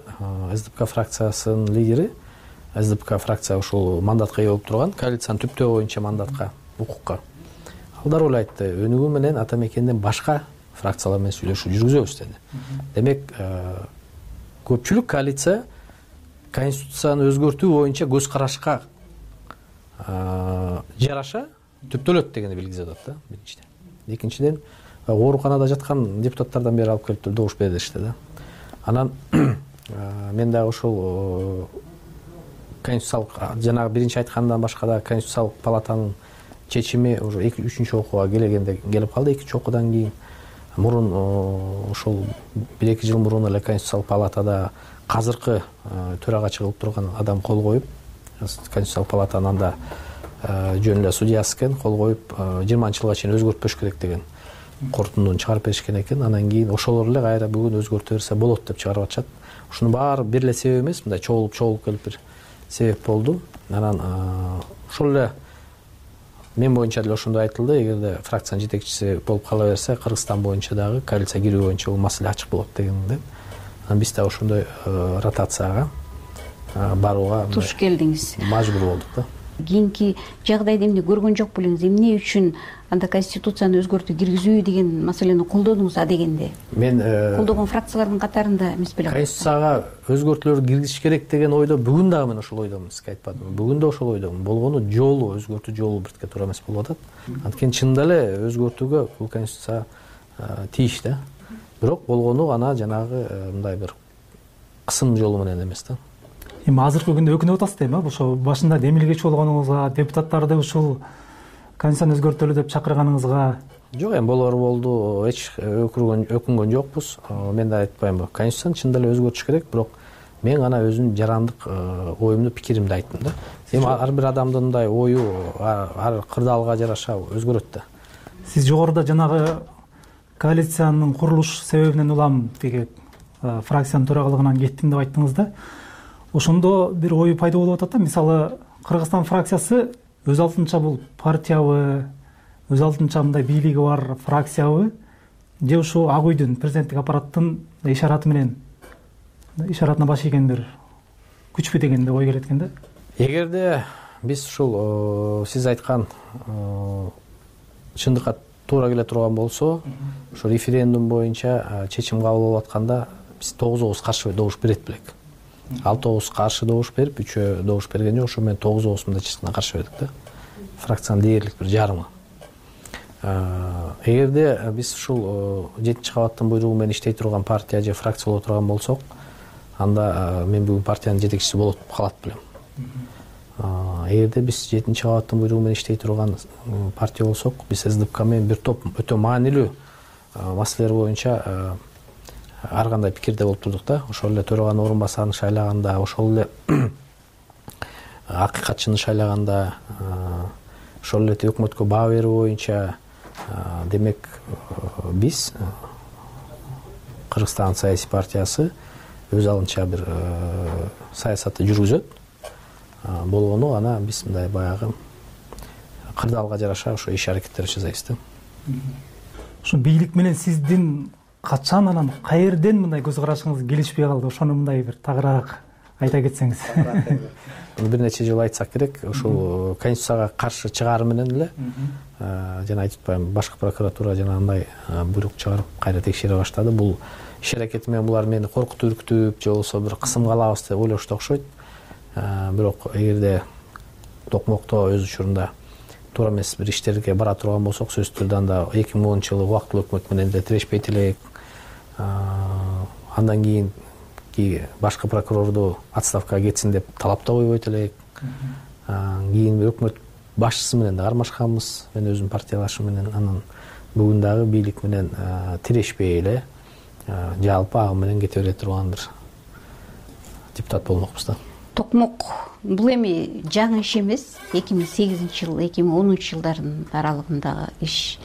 СДПК фракциясынын лидери, СДПК фракция ушул мандатка ээ болуп турган, коалициянын түптөө боюнча мандатка, укукка. Ал дароо эле айтты, өнүгүү менен ата мекенден башка фракциялар менен сүйлөшүү жүргүзөбүз деди. Демек, көпчүлүк коалиция конституцияны өзгөртүү боюнча көз карашка жараша түптөлөт дегенди билгизип атат да, биринчиден. Экинчиден, ооруканада жаткан депутаттардан бери алып келип добуш беришти да. Анан мен дагы ошол конституциялык, жанагы биринчи айткандан башка да конституциялык палатанын чечими уже үчүнчү окууга келгенде келип калды. Экинчи окуудан кийин мурун ошол бир эки жыл мурун эле конституциялык палатада азыркы төрагачы кылып турган адам кол коюп, конституциялык палатанын анда жөн эле судьясы экен, кол коюп жыйырманчы жылга чейин өзгөртпөш керек деген корутундуну чыгарып беришкен экен. Анан кийин ошолор эле кайра бүгүн өзгөртө берсе болот деп чыгарып атышат. Ушунун баары бир эле себеп эмес, мындай чогулуп чогулуп келип бир себеп болду. Анан ошол эле мен боюнча деле ошондой айтылды, эгерде фракциянын жетекчиси болуп кала берсе, Кыргызстан боюнча дагы коалиция кирүү боюнча бул маселе ачык болот дегенде. Анан биз да ошондой ротацияга барууга туш келдиңиз. Мажбур болдук да. Кийинки жагдайды эмне көргөн жок белеңиз? Эмне үчүн анда конституцияны өзгөртүү киргизүү деген маселени колдодуңуз а дегенде? Мен колдогон фракциялардын катарында эмес белең? Конституцияга өзгөртүүлөр киргизиш керек деген ойдо бүгүн дагы мен ошол ойдомун, сизге айтпадымбы? Бүгүн да ошол ойдомун. Болгону жолу, өзгөртүү жолу биртке туура эмес болуп атат. Анткени чынында эле өзгөртүүгө бул конституция тийиш да. Бирок болгону ана жанагы мындай бир кысым жолу менен эмес да. Эми азыркы күндө өкүнүп атасыз да эми, ошо башында демилгечи болгонуңузга, депутаттарды ушул конституцияны өзгөртөлү деп чакырганыңызга? Жок, эми болор болду, эч өкүнгөн өкүнгөн жокпуз. Мен да айтпаймынбы, конституцияны чындап эле өзгөртүш керек, бирок мен гана өзүмдүн жарандык оюмду, пикиримди айттым да. Эми ар бир адамдын мындай ою ар кырдаалга жараша өзгөрөт да. Сиз жогоруда жанагы коалициянын курулуш себебинен улам тиги фракциянын төрагалыгынан кеттим деп айттыңыз да. Ошондо бир ою пайда болуп атат да. Мисалы, Кыргызстан фракциясы өз алдынча бул партиябы, өз алдынча мындай бийлиги бар фракциябы, же ушу Ак үйдүн, президенттик аппараттын ишараты менен, ишаратына баш ийген бир күчпү деген ой келет экен да. Эгерде биз ушул сиз айткан чындыкка туура келе турган болсо, ошо референдум боюнча чечим кабыл болуп атканда биз тогуз каршы добуш берет белек. Ал тогуз каршы добуш берип, үчөө добуш берген жок, ошо менен тогуз мындай чечимге каршы бердик да. Фракциянын дээрлик бир жарымы. Эгерде биз ушул жетинчи кабаттын буйругу менен иштей турган партия же фракция боло турган болсок, анда мен бүгүн партиянын жетекчиси болуп калат белем. Эгерде биз жетинчи кабаттын буйругу менен иштей турган партия болсок, биз СДПК менен бир топ өтө маанилүү маселелер боюнча ар кандай пикирде болуп турдук да. Ошол эле төраганын орун басарын шайлаганда, ошол эле акыйкатчыны шайлаганда, ошол эле өкмөткө баа берүү боюнча, демек биз Кыргызстан саясий партиясы өз алынча бир саясатты жүргүзөт. Болгону ана биз мындай баягы кырдаалга жараша ошо иш аракеттер жасайбыз да. Ошо бийлик менен сиздин качан, анан каерден мындай көз карашыңыз келишпей калды? Ошону мындай бир тагыраак айта кетсеңиз. Бир нече жыл айтсак керек, ушул конституцияга каршы чыгары менен эле жана айтып атпаймынбы, башкы прокуратура жана андай буйрук чыгарып кайра текшере баштады. Бул иш аракети менен булар мени коркутуп, үркүтүп же болбосо бир кысымга алабыз деп ойлошто окшойт. Бирок эгерде токмокто өз учурунда туура эмес бир иштерге бара турган болсок, сөзсүз түрдө анда эки миң онунчу жылы убактылуу өкмөт менен деле тирешпейт элек. Андан кийин башкы прокурорду отставкага кетсин деп талап да койбойт элек. Кийин өкмөт башчысы менен да кармашканбыз, мен өзүм партиялашым менен. Анан бүгүн дагы бийлик менен тирешпей эле жалпы агым менен кете бере турган бир депутат болмокпуз да. Токмок бул эми жаңы иш эмес. эки миң сегизинчи жыл, эки миң онунчу жылдардын аралыгындагы иш.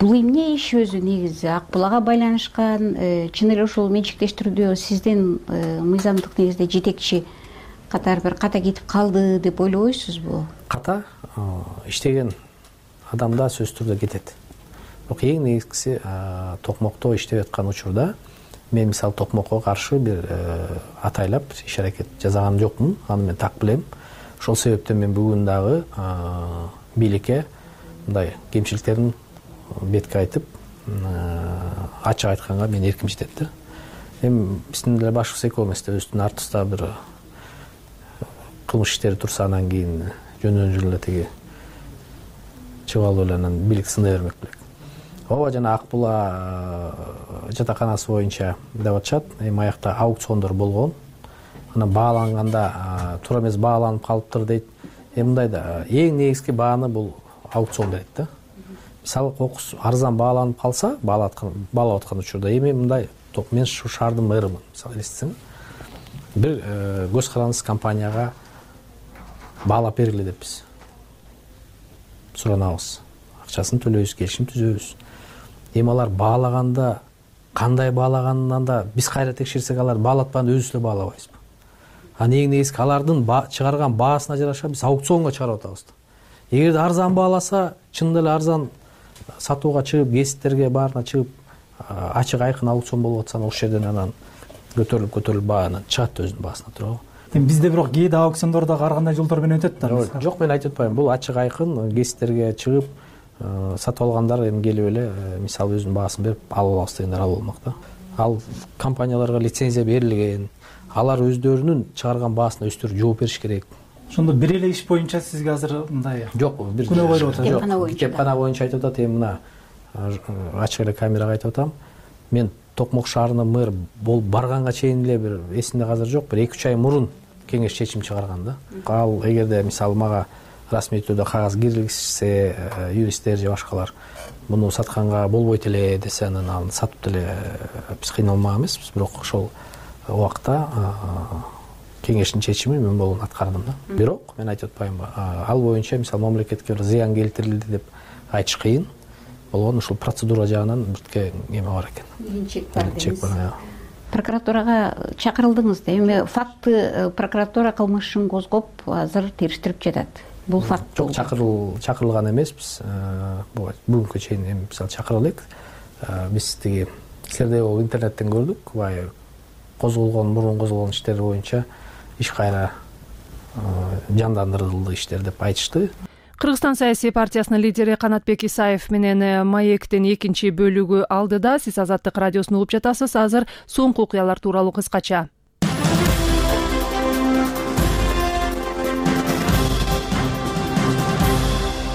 Бул эмне иш өзү негизи Ак булага байланышкан, чын эле ушул менчиктештирүүдө сиздин мыйзамдык негизде жетекчи катары бир ката кетип калды деп ойлобойсузбу? Ката иштеген адамда сөзсүз түрдө кетет. Бирок эң негизгиси токмокто иштеп аткан учурда мен мисалы токмокко каршы бир атайлап иш аракет жасаган жокмун, аны мен так билем. Ошол себептен мен бүгүн дагы бийликке мындай кемчиликтерин бетке айтып, ачык айтканга мен эрким жетет да. Эми биздин деле башыбыз экөө эмес да, өзүбүздүн артыбызда бир кылмыш иштери турса, анан кийин жөндөн жөн эле тиги чыгып алып эле анан бийлик сынай бермек белек. Ооба, жана Ак була жатаканасы боюнча деп атышат. Эми аякта аукциондор болгон. Анан бааланганда туура эмес бааланып калыптыр дейт. Эми мындай да, эң негизги бааны бул аукцион берет да. Мисалы кокус арзан бааланып калса, баалап аткан учурда, эми мындай, мен ушу шаардын мэрімін, мисалы элестетсең, бир көз карандысыз компанияга баалап бергиле деп биз суранабыз. Акчасын төлөйбүз, келишим түзөбүз. Эми алар баалаганда кандай баалаганынан да биз кайра текшерсек, алар баалатпаганда өзүбүз эле баалабайбызбы? Анан эң негизги алардын чыгарган баасына жараша биз аукционго чыгарып атабыз. Эгерде арзан бааласа, чын эле арзан сатууга чыгып, гезиттерге баарына чыгып, ачык айкын аукцион болуп атса, ошол жерден анан көтөрүлүп көтөрүлүп бааны чыгат өзүнүн баасына туурабы? Эми бизде бирок кээде аукциондор дагы ар кандай жолдор менен өтөт да. Жок, мен айтып атпайм. Бул ачык айкын гезиттерге чыгып, сатып алгандар эми келип эле, мисалы өзүнүн баасын берип алып алабыз дегендер ал болмок да. Ал компанияларга лицензия берилген, алар өздөрүнүн чыгарган баасына өздөрү жооп бериш керек. Ошондо бир эле иш боюнча сизге азыр мындай жок, бир күнөө коюлуп атат. Жок, китепкана боюнча айтып атат. Эми мына ачык эле камерага айтып атам. Мен Токмок шаарынын мэр болуп барганга чейин эле бир эсимде азыр жок, бир эки үч ай мурун кеңеш чечим чыгарган да. Ал эгерде мисалы мага расмий түрдө кагаз киргизсе, юристтер же башкалар муну сатканга болбойт эле десе, анан аны сатып деле биз кыйналмак эмеспиз. Бирок ошол убакта кеңештин чечими мен болуп аткардым да. Бирок мен айтып атпаймынбы, ал боюнча мисалы мамлекетке бир зыян келтирилди деп айтыш кыйын болгон. Ушул процедура жагынан биртке эме бар экен. Чек бар дейсиз. Прокуратурага чакырылдыңыз да. Эми факты прокуратура кылмышын козгоп азыр териштирип жатат. Бул факт жок, чакырыл чакырылган эмеспиз. Бүгүнкү чейин эми мисалы чакырып элек. Биз тиги силерде бул интернеттен көрдүк. Бай козголгон, мурун козголгон иштер боюнча иш кайра жандандырылды иштер деп айтышты. Кыргызстан саясий партиясынын лидери Канатбек Исаев менен Маектин экинчи бөлүгү алдыда. Сиз Азаттык радиосун угуп жатасыз. Азыр соңку окуялар тууралуу кыскача.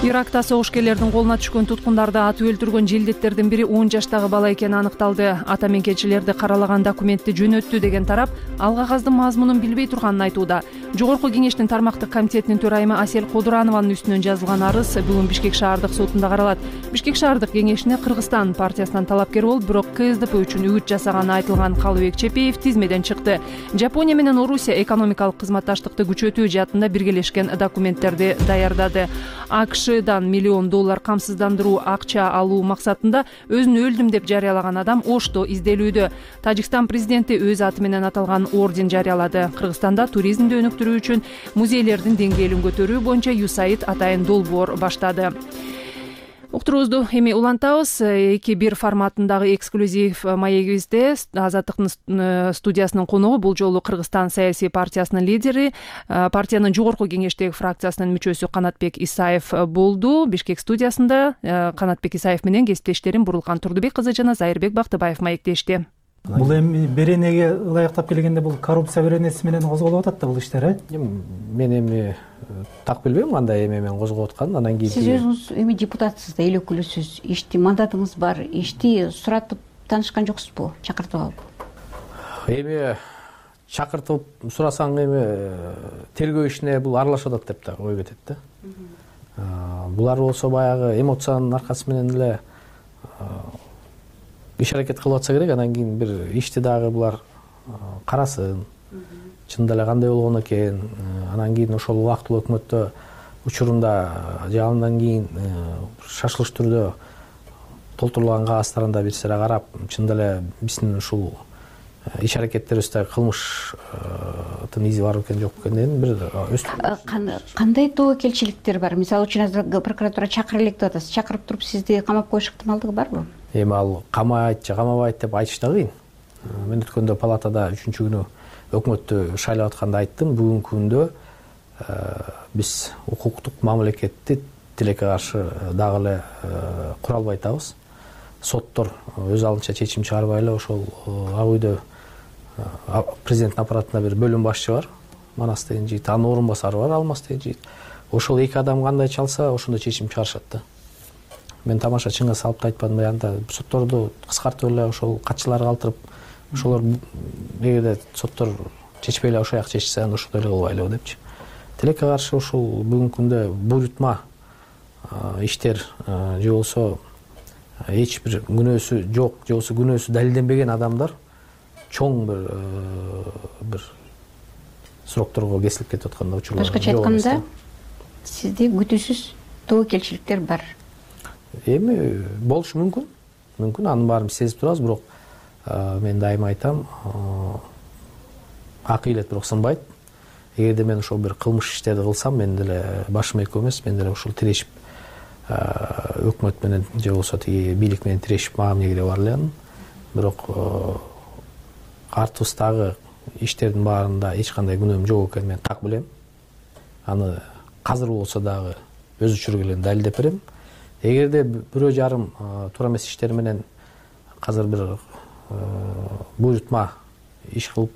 Иракта согушкерлердин колуна түшкөн туткундарды атып өлтүргөн желдеттердин бири он жаштагы бала экени аныкталды. Ата менкенчилерди каралаган документти жөнөттү деген тарап ал кагаздын мазмунун билбей турганын айтууда. Жогорку кеңештин тармактык комитетинин төрайымы Асель Кодурованын үстүнөн жазылган арыз бүгүн Бишкек шаардык сотунда каралат. Бишкек шаардык кеңешине Кыргызстан партиясынан талапкер болуп, бирок КСДП үчүн үгүт жасаганы айтылган Калыбек Чепеев тизмеден чыкты. Жапония менен Орусия экономикалык кызматташтыкты күчөтүү жаатында биргелешкен документтерди даярдады. АКШдан миллион доллар камсыздандыруу акча алуу максатында өзүн өлдүм деп жарыялаган адам Ошто изделүүдө. Тажикстан президенти өз аты менен аталган орден жарыялады. Кыргызстанда туризмди өнүктүрүү үчүн музейлердин деңгээлин көтөрүү боюнча ЮСАИД атайын долбоор баштады. Уктуруубузду эми улантабыз. эки бир форматындагы эксклюзив маегибизде Азаттыктын студиясынын коногу бул жолу Кыргызстан саясий партиясынын лидери, партиянын жогорку кеңештеги фракциясынын мүчөсү Канатбек Исаев болду. Бишкек студиясында Канатбек Исаев менен кесиптештерим Бурулкан Турдубек кызы жана Зайырбек Бактыбаев маектешти. Бул эми беренеге ылайыктап келгенде бул коррупция беренеси менен козголуп атат да бул иштер, э? Мен эми так билбейм кандай эме менен козголуп атканын. Анан кийин сиз өзүңүз эми депутатсыз да, эл өкүлүсүз, ишти мандатыңыз бар, ишти суратып таанышкан жоксузбу, чакыртып алып? Эми чакыртып сурасаң эми тергөө ишине бул аралашып атат деп да ой кетет да. Булар болсо баягы эмоциянын аркасы менен эле иш аракет кылып атса керек. Анан кийин бир ишти дагы булар карасын, чындап эле кандай болгон экен. Анан кийин ошол убактылуу өкмөттө учурунда же андан кийин шашылыш түрдө толтурулган кагаздарында бир сыра карап, чындап эле биздин ушул иш аракеттерибизде кылмыштын изи бар экен жок экенден бир кандай тобокелчиликтер бар? Мисалы үчүн азыр прокуратура чакыра элек деп атасыз. Чакырып туруп сизди камап коюш ыктымалдыгы барбы? Эми ал камайт же камабайт деп айтыш да кыйын. Мен өткөндө палатада үчүнчү күнү өкмөттү шайлап атканда айттым. Бүгүнкү күндө биз укуктук мамлекетти тилекке каршы дагы эле кура албай атабыз. Соттор өз алдынча чечим чыгарбай эле ошол ак үйдө президенттин аппаратында бир бөлүм башчы бар, Манас деген жигит, анын орун басары бар, Алмаз деген жигит. Ошол эки адам кандай чалса, ошондой чечим чыгарышат да. Мен тамаша чыңга салып да айтпадым, аянда сотторду кыскартып эле ошол катчыларга калтырып, ошолор эгерде соттор чечпей эле ошояк чечсе, анда ошондой эле кылбайлыбы депчи. Тилекке каршы ушул бүгүнкү күндө буйрутма иштер же болсо эч бир күнөөсү жок, же болсо күнөөсү далилденбеген адамдар чоң бир бир сурокторго кесилип кетип атканда учурлар. Башкача айтканда, сизде күтүүсүз тобокелчиликтер бар. Эми болушу мүмкүн. Мүмкүн, анын баарын сезип турабыз, бирок мен дайыма айтам, ак илет бирок сынбайт. Эгерде мен ошол бир кылмыш иштерди кылсам, мен деле башым экөө эмес, мен деле ушул тирешип өкмөт менен же болсо тиги бийлик менен тирешип мага эмне кереги бар эле анын. Бирок артыбыздагы иштердин баарында эч кандай күнөөм жок экенин мен так билем. Аны азыр болсо дагы өз учуру менен далилдеп берем. Эгерде бирөө жарым туура эмес иштер менен азыр бир буйрутма иш кылып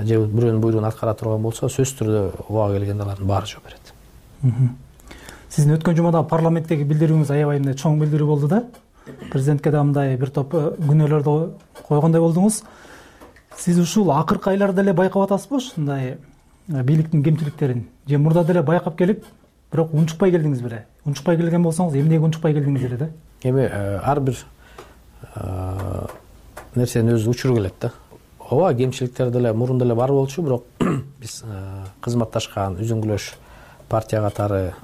же бирөөнүн буйругун аткара турган болсо, сөзсүз түрдө убага келгенде алардын баары жооп берет. Сиздин өткөн жумада парламенттеги билдирүүңүз аябай эле чоң билдирүү болду да. Президентке да мындай бир топ күнөөлөрдү койгондой болдуңуз. Сиз ушул акыркы айларда эле байкап атасызбы ушундай бийликтин кемчиликтерин? Же мурда деле байкап келип, бирок унчукпай келдиңиз беле? Унчукпай келген болсоңуз эмнеге унчукпай келдиңиз беле да? Эми ар бир нерсенин өз учуру келет да. Ооба, кемчиликтер деле мурун деле бар болчу, бирок биз кызматташкан үзүңгүлөш партия катары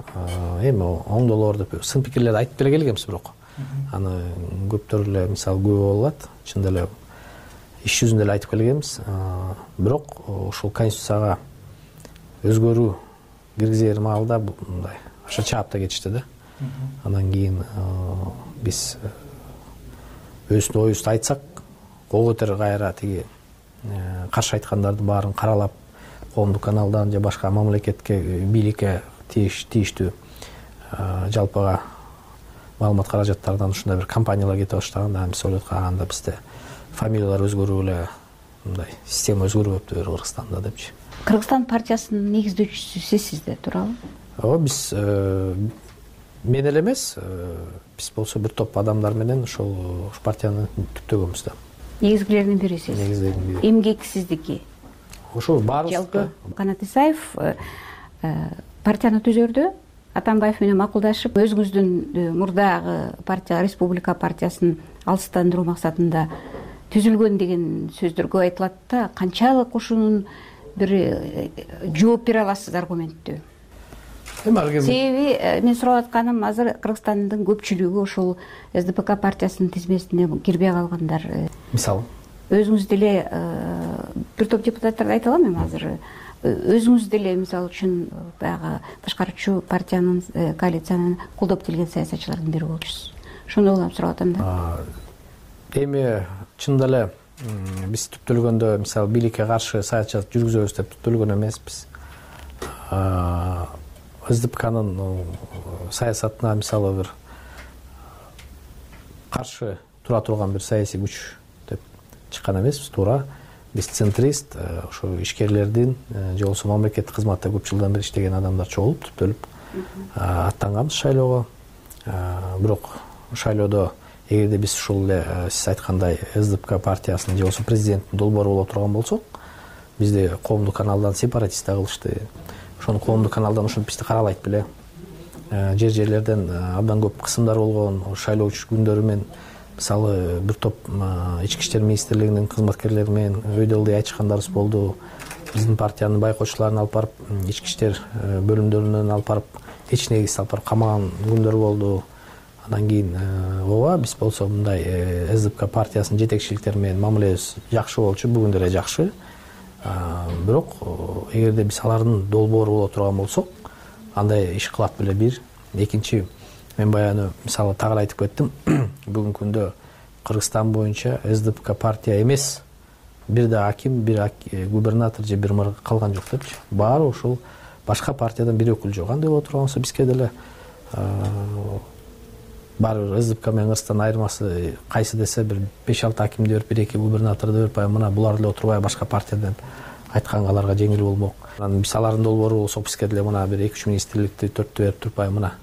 эми оңдолор деп сын пикирлерди айтып деле келгенбиз, бирок аны көптөр эле мисалы күбө болуп атат. Чын деле иш жүзүндө эле айтып келгенбиз. Бирок ушул конституцияга өзгөрүү киргизер маалда мындай аша чаапта кетишти да. Андан кийин биз өзүбүздүн оюбузду айтсак, кол көтөрүп кайра тиги каршы айткандардын баарын каралап, коомдук каналдан же башка мамлекетке, бийликке тийиштүү жалпыга маалымат каражаттардан ушундай бир компаниялар кетип баштаганда, биз ойлоп калганда бизде фамилиялар өзгөрүп эле мындай система өзгөрүп өттү Кыргызстанда депчи. Кыргызстан партиясынын негиздөөчүсү сизсизде, туурабы? Ооба, биз мен эле эмес, биз болсо бир топ адамдар менен ошол партияны түптөгөнбүз да. Негизгилердин бирисиз. Негизгилердин бири. Эмгексиздики. Ошол баарыбыз. Жалпы Канат Исаев партияны түзөрдө Атамбаев менен макулдашып, өзүңүздүн мурдагы партия, Республика партиясын алыстандыруу максатында түзүлгөн деген сөздөр көп айтылат да. Канчалык ушунун бир жооп бере аласыз аргументтүү? Себеби мен сурап атканым, азыр Кыргызстандын көпчүлүгү ошол эс дэ пэ ка партиясынын тизмесине кирбей калгандар. Мисалы өзүңүз деле бир топ депутаттарды айта алам эми азыр. Өзүңүз деле мисалы үчүн баягы башкаруучу партиянын, коалициянын колдоп келген саясатчылардын бири болчусуз. Ошондой улам сурап атам да. Эми чын деле биз түптөлгөндө мисалы бийликке каршы саясат жүргүзөбүз деп түптөлгөн эмеспиз. эс дэ пэ канын саясатына мисалы бир каршы тура турган бир саясий күч деп чыккан эмеспиз, туура. Биз центрист, ошо ишкерлердин же болбосо мамлекеттик кызматта көп жылдан бери иштеген адамдар чогулуп түптөлүп аттанганбыз шайлоого. Бирок шайлоодо эгерде биз ушул эле сиз айткандай эс дэ пэ ка партиясынын же болбосо президенттин долбоору боло турган болсок, бизди коомдук каналдан сепаратист да кылышты. Ошону коомдук каналдан ушинтип бизди каралайт беле. Жер жерлерден абдан көп кысымдар болгон. Шайлоо күндөрү мен мисалы бир топ ички иштер министрлигинин кызматкерлери менен өйдө ылдый айтышкандарыбыз болду. Биздин партиянын байкоочуларын алып барып, ички иштер бөлүмдөрүнөн алып барып, эч негизсиз алып барып камаган күндөр болду. Андан кийин ооба, биз болсо мындай эс дэ пэ ка партиясынын жетекчиликтери менен мамилебиз жакшы болчу, бүгүн деле жакшы. Бирок эгерде биз алардын долбоору боло турган болсок, андай иш кылат беле бир. Экинчи, мен баягы мисалы тагы айтып кеттим, бүгүнкү күндө Кыргызстан боюнча эс дэ пэ ка партия эмес, бир да аким, бир губернатор же бир мэр калган жок депчи. Баары ушул башка партиядан бир өкүл жок. Андай боло турган болсо бизге деле баары эс дэ пэ ка менен Кыргызстандын айырмасы кайсы десе бир беш алты акимди берип, бир эки губернаторду берип, мына булар деле отурбай башка партиядан айтканга аларга жеңил болмок. Анан биз алардын долбоору болсок, бизге деле мына бир эки үч министрликти төрттү берип турпай, мына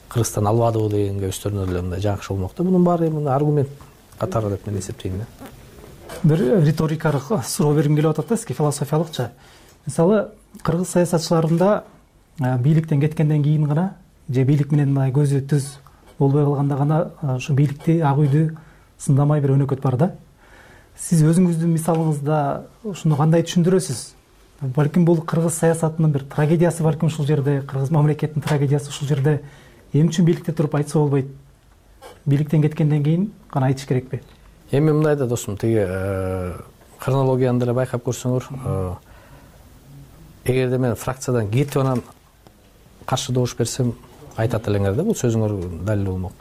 Кыргызстан албадыбы дегенге өздөрүнө деле мындай жакшы болмок да. Мунун баары эми аргумент катары деп мен эсептейм да. Бир риторикалык суроо бергим келип атат да, сизге философиялыкча. Мисалы, кыргыз саясатчыларында бийликтен кеткенден кийин гана же бийлик менен мындай көзү түз болбой калганда гана ошо бийликти, ак үйдү сындамай бир өнөкөт бар да. Сиз өзүңүздүн мисалыңызда ушуну кандай түшүндүрөсүз? Балким бул кыргыз саясатынын бир трагедиясы, балким ушул жерде, кыргыз мамлекетинин трагедиясы ушул жерде. Эмне үчүн бийликте туруп айтса болбойт? Бийликтен кеткенден кийин гана айтыш керекпи? Эми мындай да досум, тиги хронологияны деле байкап көрсөңөр, эгерде мен фракциядан кетип анан каршы добуш берсем, айтат элеңер да, бул сөзүңөр далил болмок.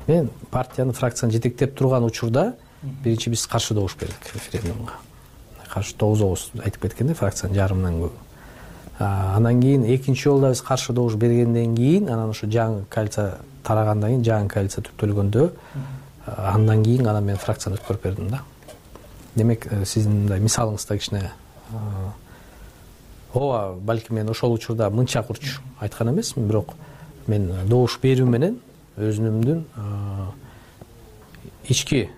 Мен партияны, фракцияны жетектеп турган учурда биринчи биз каршы добуш бердик референдумга. Каршы тогуз тогуз айтып кеткенде, фракциянын жарымынан көп. Андан кийин экинчи жолда биз каршы добуш бергенден кийин, анан ошо жаңы коалиция тарагандан кийин, жаңы коалиция түптөлгөндө, андан кийин анан мен фракцияны өткөрүп бердим да. Демек, сиздин мындай мисалыңызда кичине ооба, балким мен ошол учурда мынча курч айткан эмесмин, бирок мен добуш берүү менен өзүмдүн ички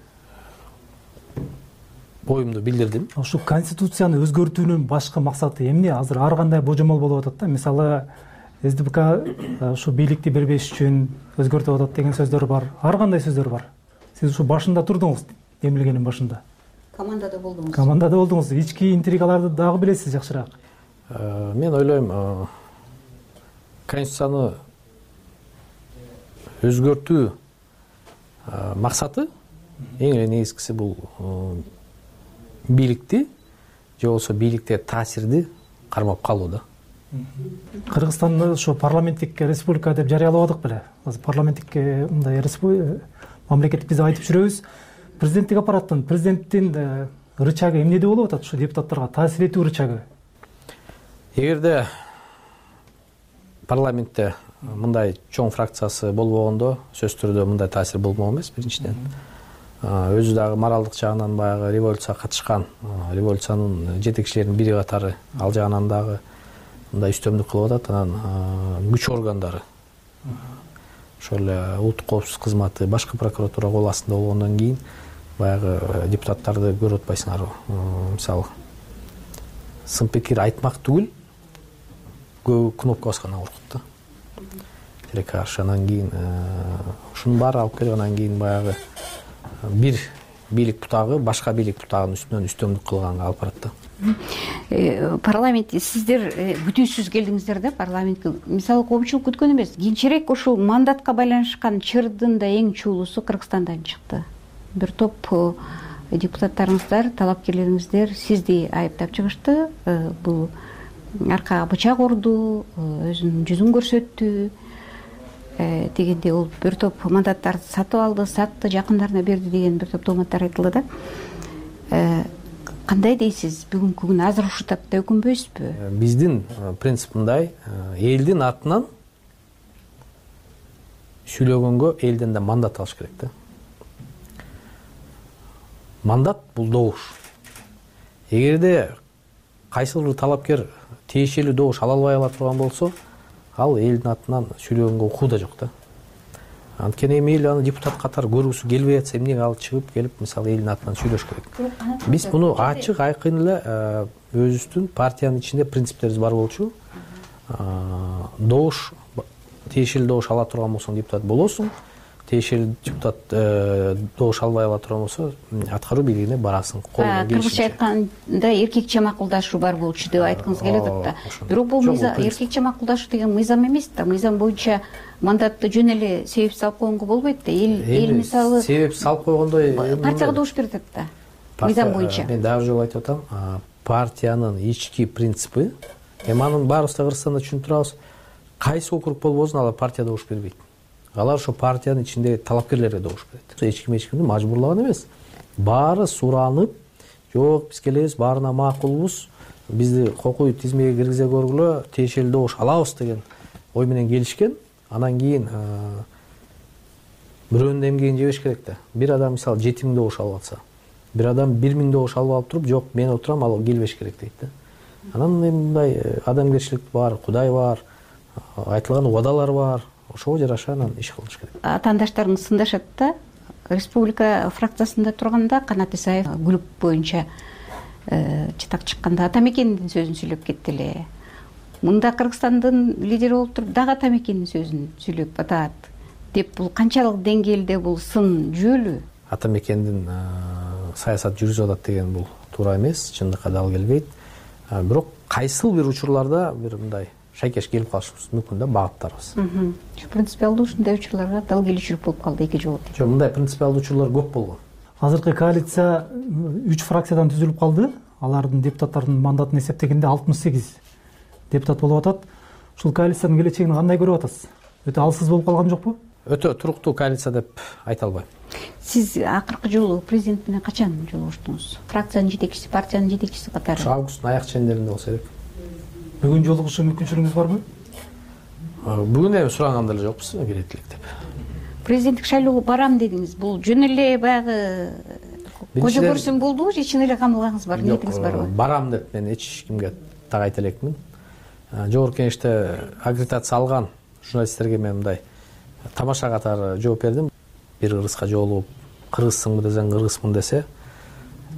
оюмду билдирдим. Ошо конституцияны өзгөртүүнүн башкы максаты эмне? Азыр ар кандай божомол болуп атат да. Мисалы, СДПК ушу бийликти бербеш үчүн өзгөртүп атат деген сөздөр бар. Ар кандай сөздөр бар. Сиз ушу башында турдуңуз, демилгенин башында. Командада болдуңуз. Командада болдуңуз. Ички интригаларды дагы билесиз жакшыраак. Мен ойлойм, конституцияны өзгөртүү максаты эң эле негизгиси бул бийликти же болбосо бийликте таасирди кармап калуу да. Кыргызстанды ошо парламенттик республика деп жарыялабадык беле? Азыр парламенттик мындай мамлекет биз айтып жүрөбүз. Президенттик аппараттын, президенттин рычагы эмнеде болуп атат ушу депутаттарга таасир этүү рычагы? Эгерде парламентте мындай чоң фракциясы болбогондо сөзсүз түрдө мындай таасир болмок эмес. Биринчиден өзү дагы моралдык жагынан баягы революцияга катышкан, революциянын жетекчилеринин бири катары, ал жагынан дагы мындай үстөмдүк кылып атат. Анан күч органдары, ошол эле улуттук коопсуздук кызматы, башкы прокуратура кол астында болгондон кийин баягы депутаттарды көрүп атпайсыңарбы? Мисалы сын пикир айтмак түгүл, көбү кнопка баскандан коркут да. Тилекке каршы. Анан кийин ушунун баары алып келип, анан кийин баягы бир бийлик бутагы башка бийлик бутагынын үстүнөн үстөмдүк кылганга алып барат да. Парламентте сиздер күтүүсүз келдиңиздер да парламентке. Мисалы коомчулук күткөн эмес. Кийинчерээк ушул мандатка байланышкан чырдын да эң чуулуусу Кыргызстандан чыкты. Бир топ депутаттарыңыздар, талапкерлериңиздер сизди айыптап чыгышты. Бул аркага бычак урду, өзүнүн жүзүн көрсөттү дегенде, ол бир топ мандаттарды сатып алды, сатты, жакындарына берди деген бир топ тооматтар айтылды да. Кандай дейсиз? Бүгүнкү күн азыр ушул тапта өкүнбөйсүзбү? Биздин принцип мындай, элдин атынан сүйлөгөнгө элден да мандат алыш керек да. Мандат бул добуш. Эгерде кайсыл бир талапкер тиешелүү добуш ала албай кала турган болсо, ал элдин атынан сүйлөгөнгө укугу да жок да. Анткени эми эл аны депутат катары көргүсү келбей атса, эмнеге ал чыгып келип, мисалы элдин атынан сүйлөш керек? Биз муну ачык, айкын эле өзүбүздүн партиянын ичинде принциптерибиз бар болчу. Добуш, тиешелүү добуш ала турган болсоң депутат болосуң. Тиешелүү депутат добуш албай ала турган болсо, аткаруу бийлигине барасың. Кыргызча айтканда эркекче макулдашуу бар болчу деп айткыңыз келип атат да. Бирок бул эркекче макулдашуу деген мыйзам эмес да. Мыйзам боюнча мандатты жөн эле себеп салып койгонго болбойт да. Эл эл мисалы себеп салып койгондой партияга добуш берип атат да. Мыйзам боюнча. Мен дагы жолу айтып атам, партиянын ички принципи, эми анын баарыбыз да Кыргызстанда түшүнүп турабыз. Кайсы округ болбосун, алар партия добуш бербейт. Алар ошо партиянын ичиндеги талапкерлерге добуш берет. Эч ким эч кимди мажбурлаган эмес. Баары суранып, жок, биз келебиз, баарына макулбуз, бизди кокуй тизмеге киргизе көргүлө, тиешелүү добуш алабыз деген ой менен келишкен. Анан кийин бирөөнүн эмгегин жебеш керек да. Бир адам мисалы жети миң добуш алып атса, бир адам бир миң добуш алып алып туруп, жок, мен отурам, ал келбеш керек дейт да. Анан эми мындай адамгерчилик бар, Кудай бар, айтылган убадалар бар. Ошого жараша анан иш кылыш керек. Атаандаштарыңыз сындашат да. Республика фракциясында турганда Канат Исаев групп боюнча чытак чыкканда Атамекендин сөзүн сүйлөп кетти эле. Мында Кыргызстандын лидери болуп туруп дагы Атамекендин сөзүн сүйлөп атат деп, бул канчалык деңгээлде бул сын жүйөлүү? Атамекендин саясат жүргүзүп атат деген бул туура эмес, чындыкка дал келбейт. Бирок кайсыл бир учурларда бир мындай шайкеш келип калышыбыз мүмкүн да, багыттарыбыз. Принципиалдуу ушундай учурларга дал келүүчүлүк болуп калды эки жолу. Жок, мындай принципиалдуу учурлар көп болгон. Азыркы коалиция үч фракциядан түзүлүп калды. Алардын депутаттарынын мандатын эсептегенде алтымыш сегиз депутат болуп атат. Ушул коалициянын келечегин кандай көрүп атасыз? Өтө алсыз болуп калган жокпу? Өтө туруктуу коалиция деп айта албайм. Сиз акыркы жолу президент менен качан жолугуштуңуз? Фракциянын жетекчиси, партиянын жетекчиси катары? Августтун аяк чендеринде болсо керек. Бүгүн жолугушуу мүмкүнчүлүгүңүз барбы? Бүгүн эми сураган деле жокпуз, келет элек деп. Президенттик шайлоого барам дедиңиз. Бул жөн эле баягы кожо көрсөм болдубу же чын эле камылгаңыз бар, ниетиңиз барбы? Барам деп мен эч кимге так айта элекмин. Жогорку кеңеште аккредитация алган журналисттерге мен мындай тамаша катары жооп бердим. Бир кыргызга жолугуп, кыргызсыңбы десең, кыргызмын десе,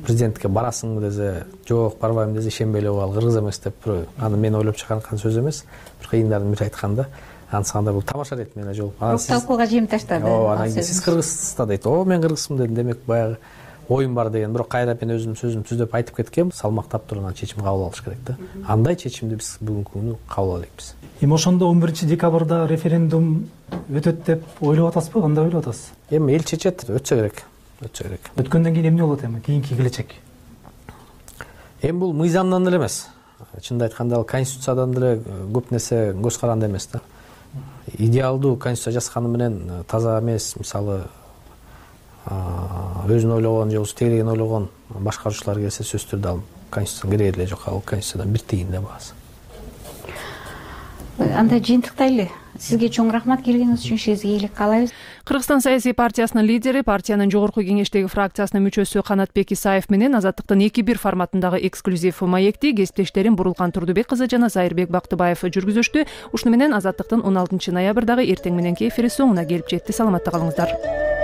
президентке барасыңбы десе жок, барбайм десе ишенбей эле ал кыргыз эмес деп, аны мен ойлоп чыгарган сөз эмес, бир кыйындарын бири айтканда анысыканда бул тамаша дейт менен жолуп. Талкууга жем таштады. Ооба, анан кийин сиз кыргызда дейт. О, мен кыргызмын дедим, демек баягы оюм бар деген. Бирок кайра мен өзүмдүн сөзүмдү түздөп айтып кеткем, салмактап туруп анан чечим кабыл алыш керек да. Андай чечимди биз бүгүнкү күнү кабыл алып элекпиз. Эми ошондо он биринчи декабрда референдум өтөт деп ойлоп атасызбы? Кандай ойлоп атасыз? Эми эл чечет, өтсө керек. Өтсө керек. Өткөндөн кийин эмне болот эми? Кийинки келечек? Эми бул мыйзамдан эле эмес. Чынын айтканда ал конституциядан деле көп нерсе көз каранды эмес да. Идеалдуу конституция жазганы менен таза эмес, мисалы өзүн ойлогон же болбосо тегерегин ойлогон башкаруучулар келсе сөзсүз түрдө ал конституцияга кереги эле жок. Ал конституциядан бир тиын да баасы. Анда жыйынтыктайлы. Сизге чоң рахмат, келгениңиз үчүн сизге ийгилик каалайбыз. Кыргызстан саясий партиясынын лидери, партиянын жогорку кеңештеги фракциясынын мүчөсү Канатбек Исаев менен Азаттыктын эки бир форматындагы эксклюзив маекти кесиптештерим Бурулкан Турдубек кызы жана Зайырбек Бактыбаев жүргүзүштү. Ушуну менен Азаттыктын он алтынчы ноябрдагы эртең мененки эфири соңуна келип жетти. Саламатта калыңыздар.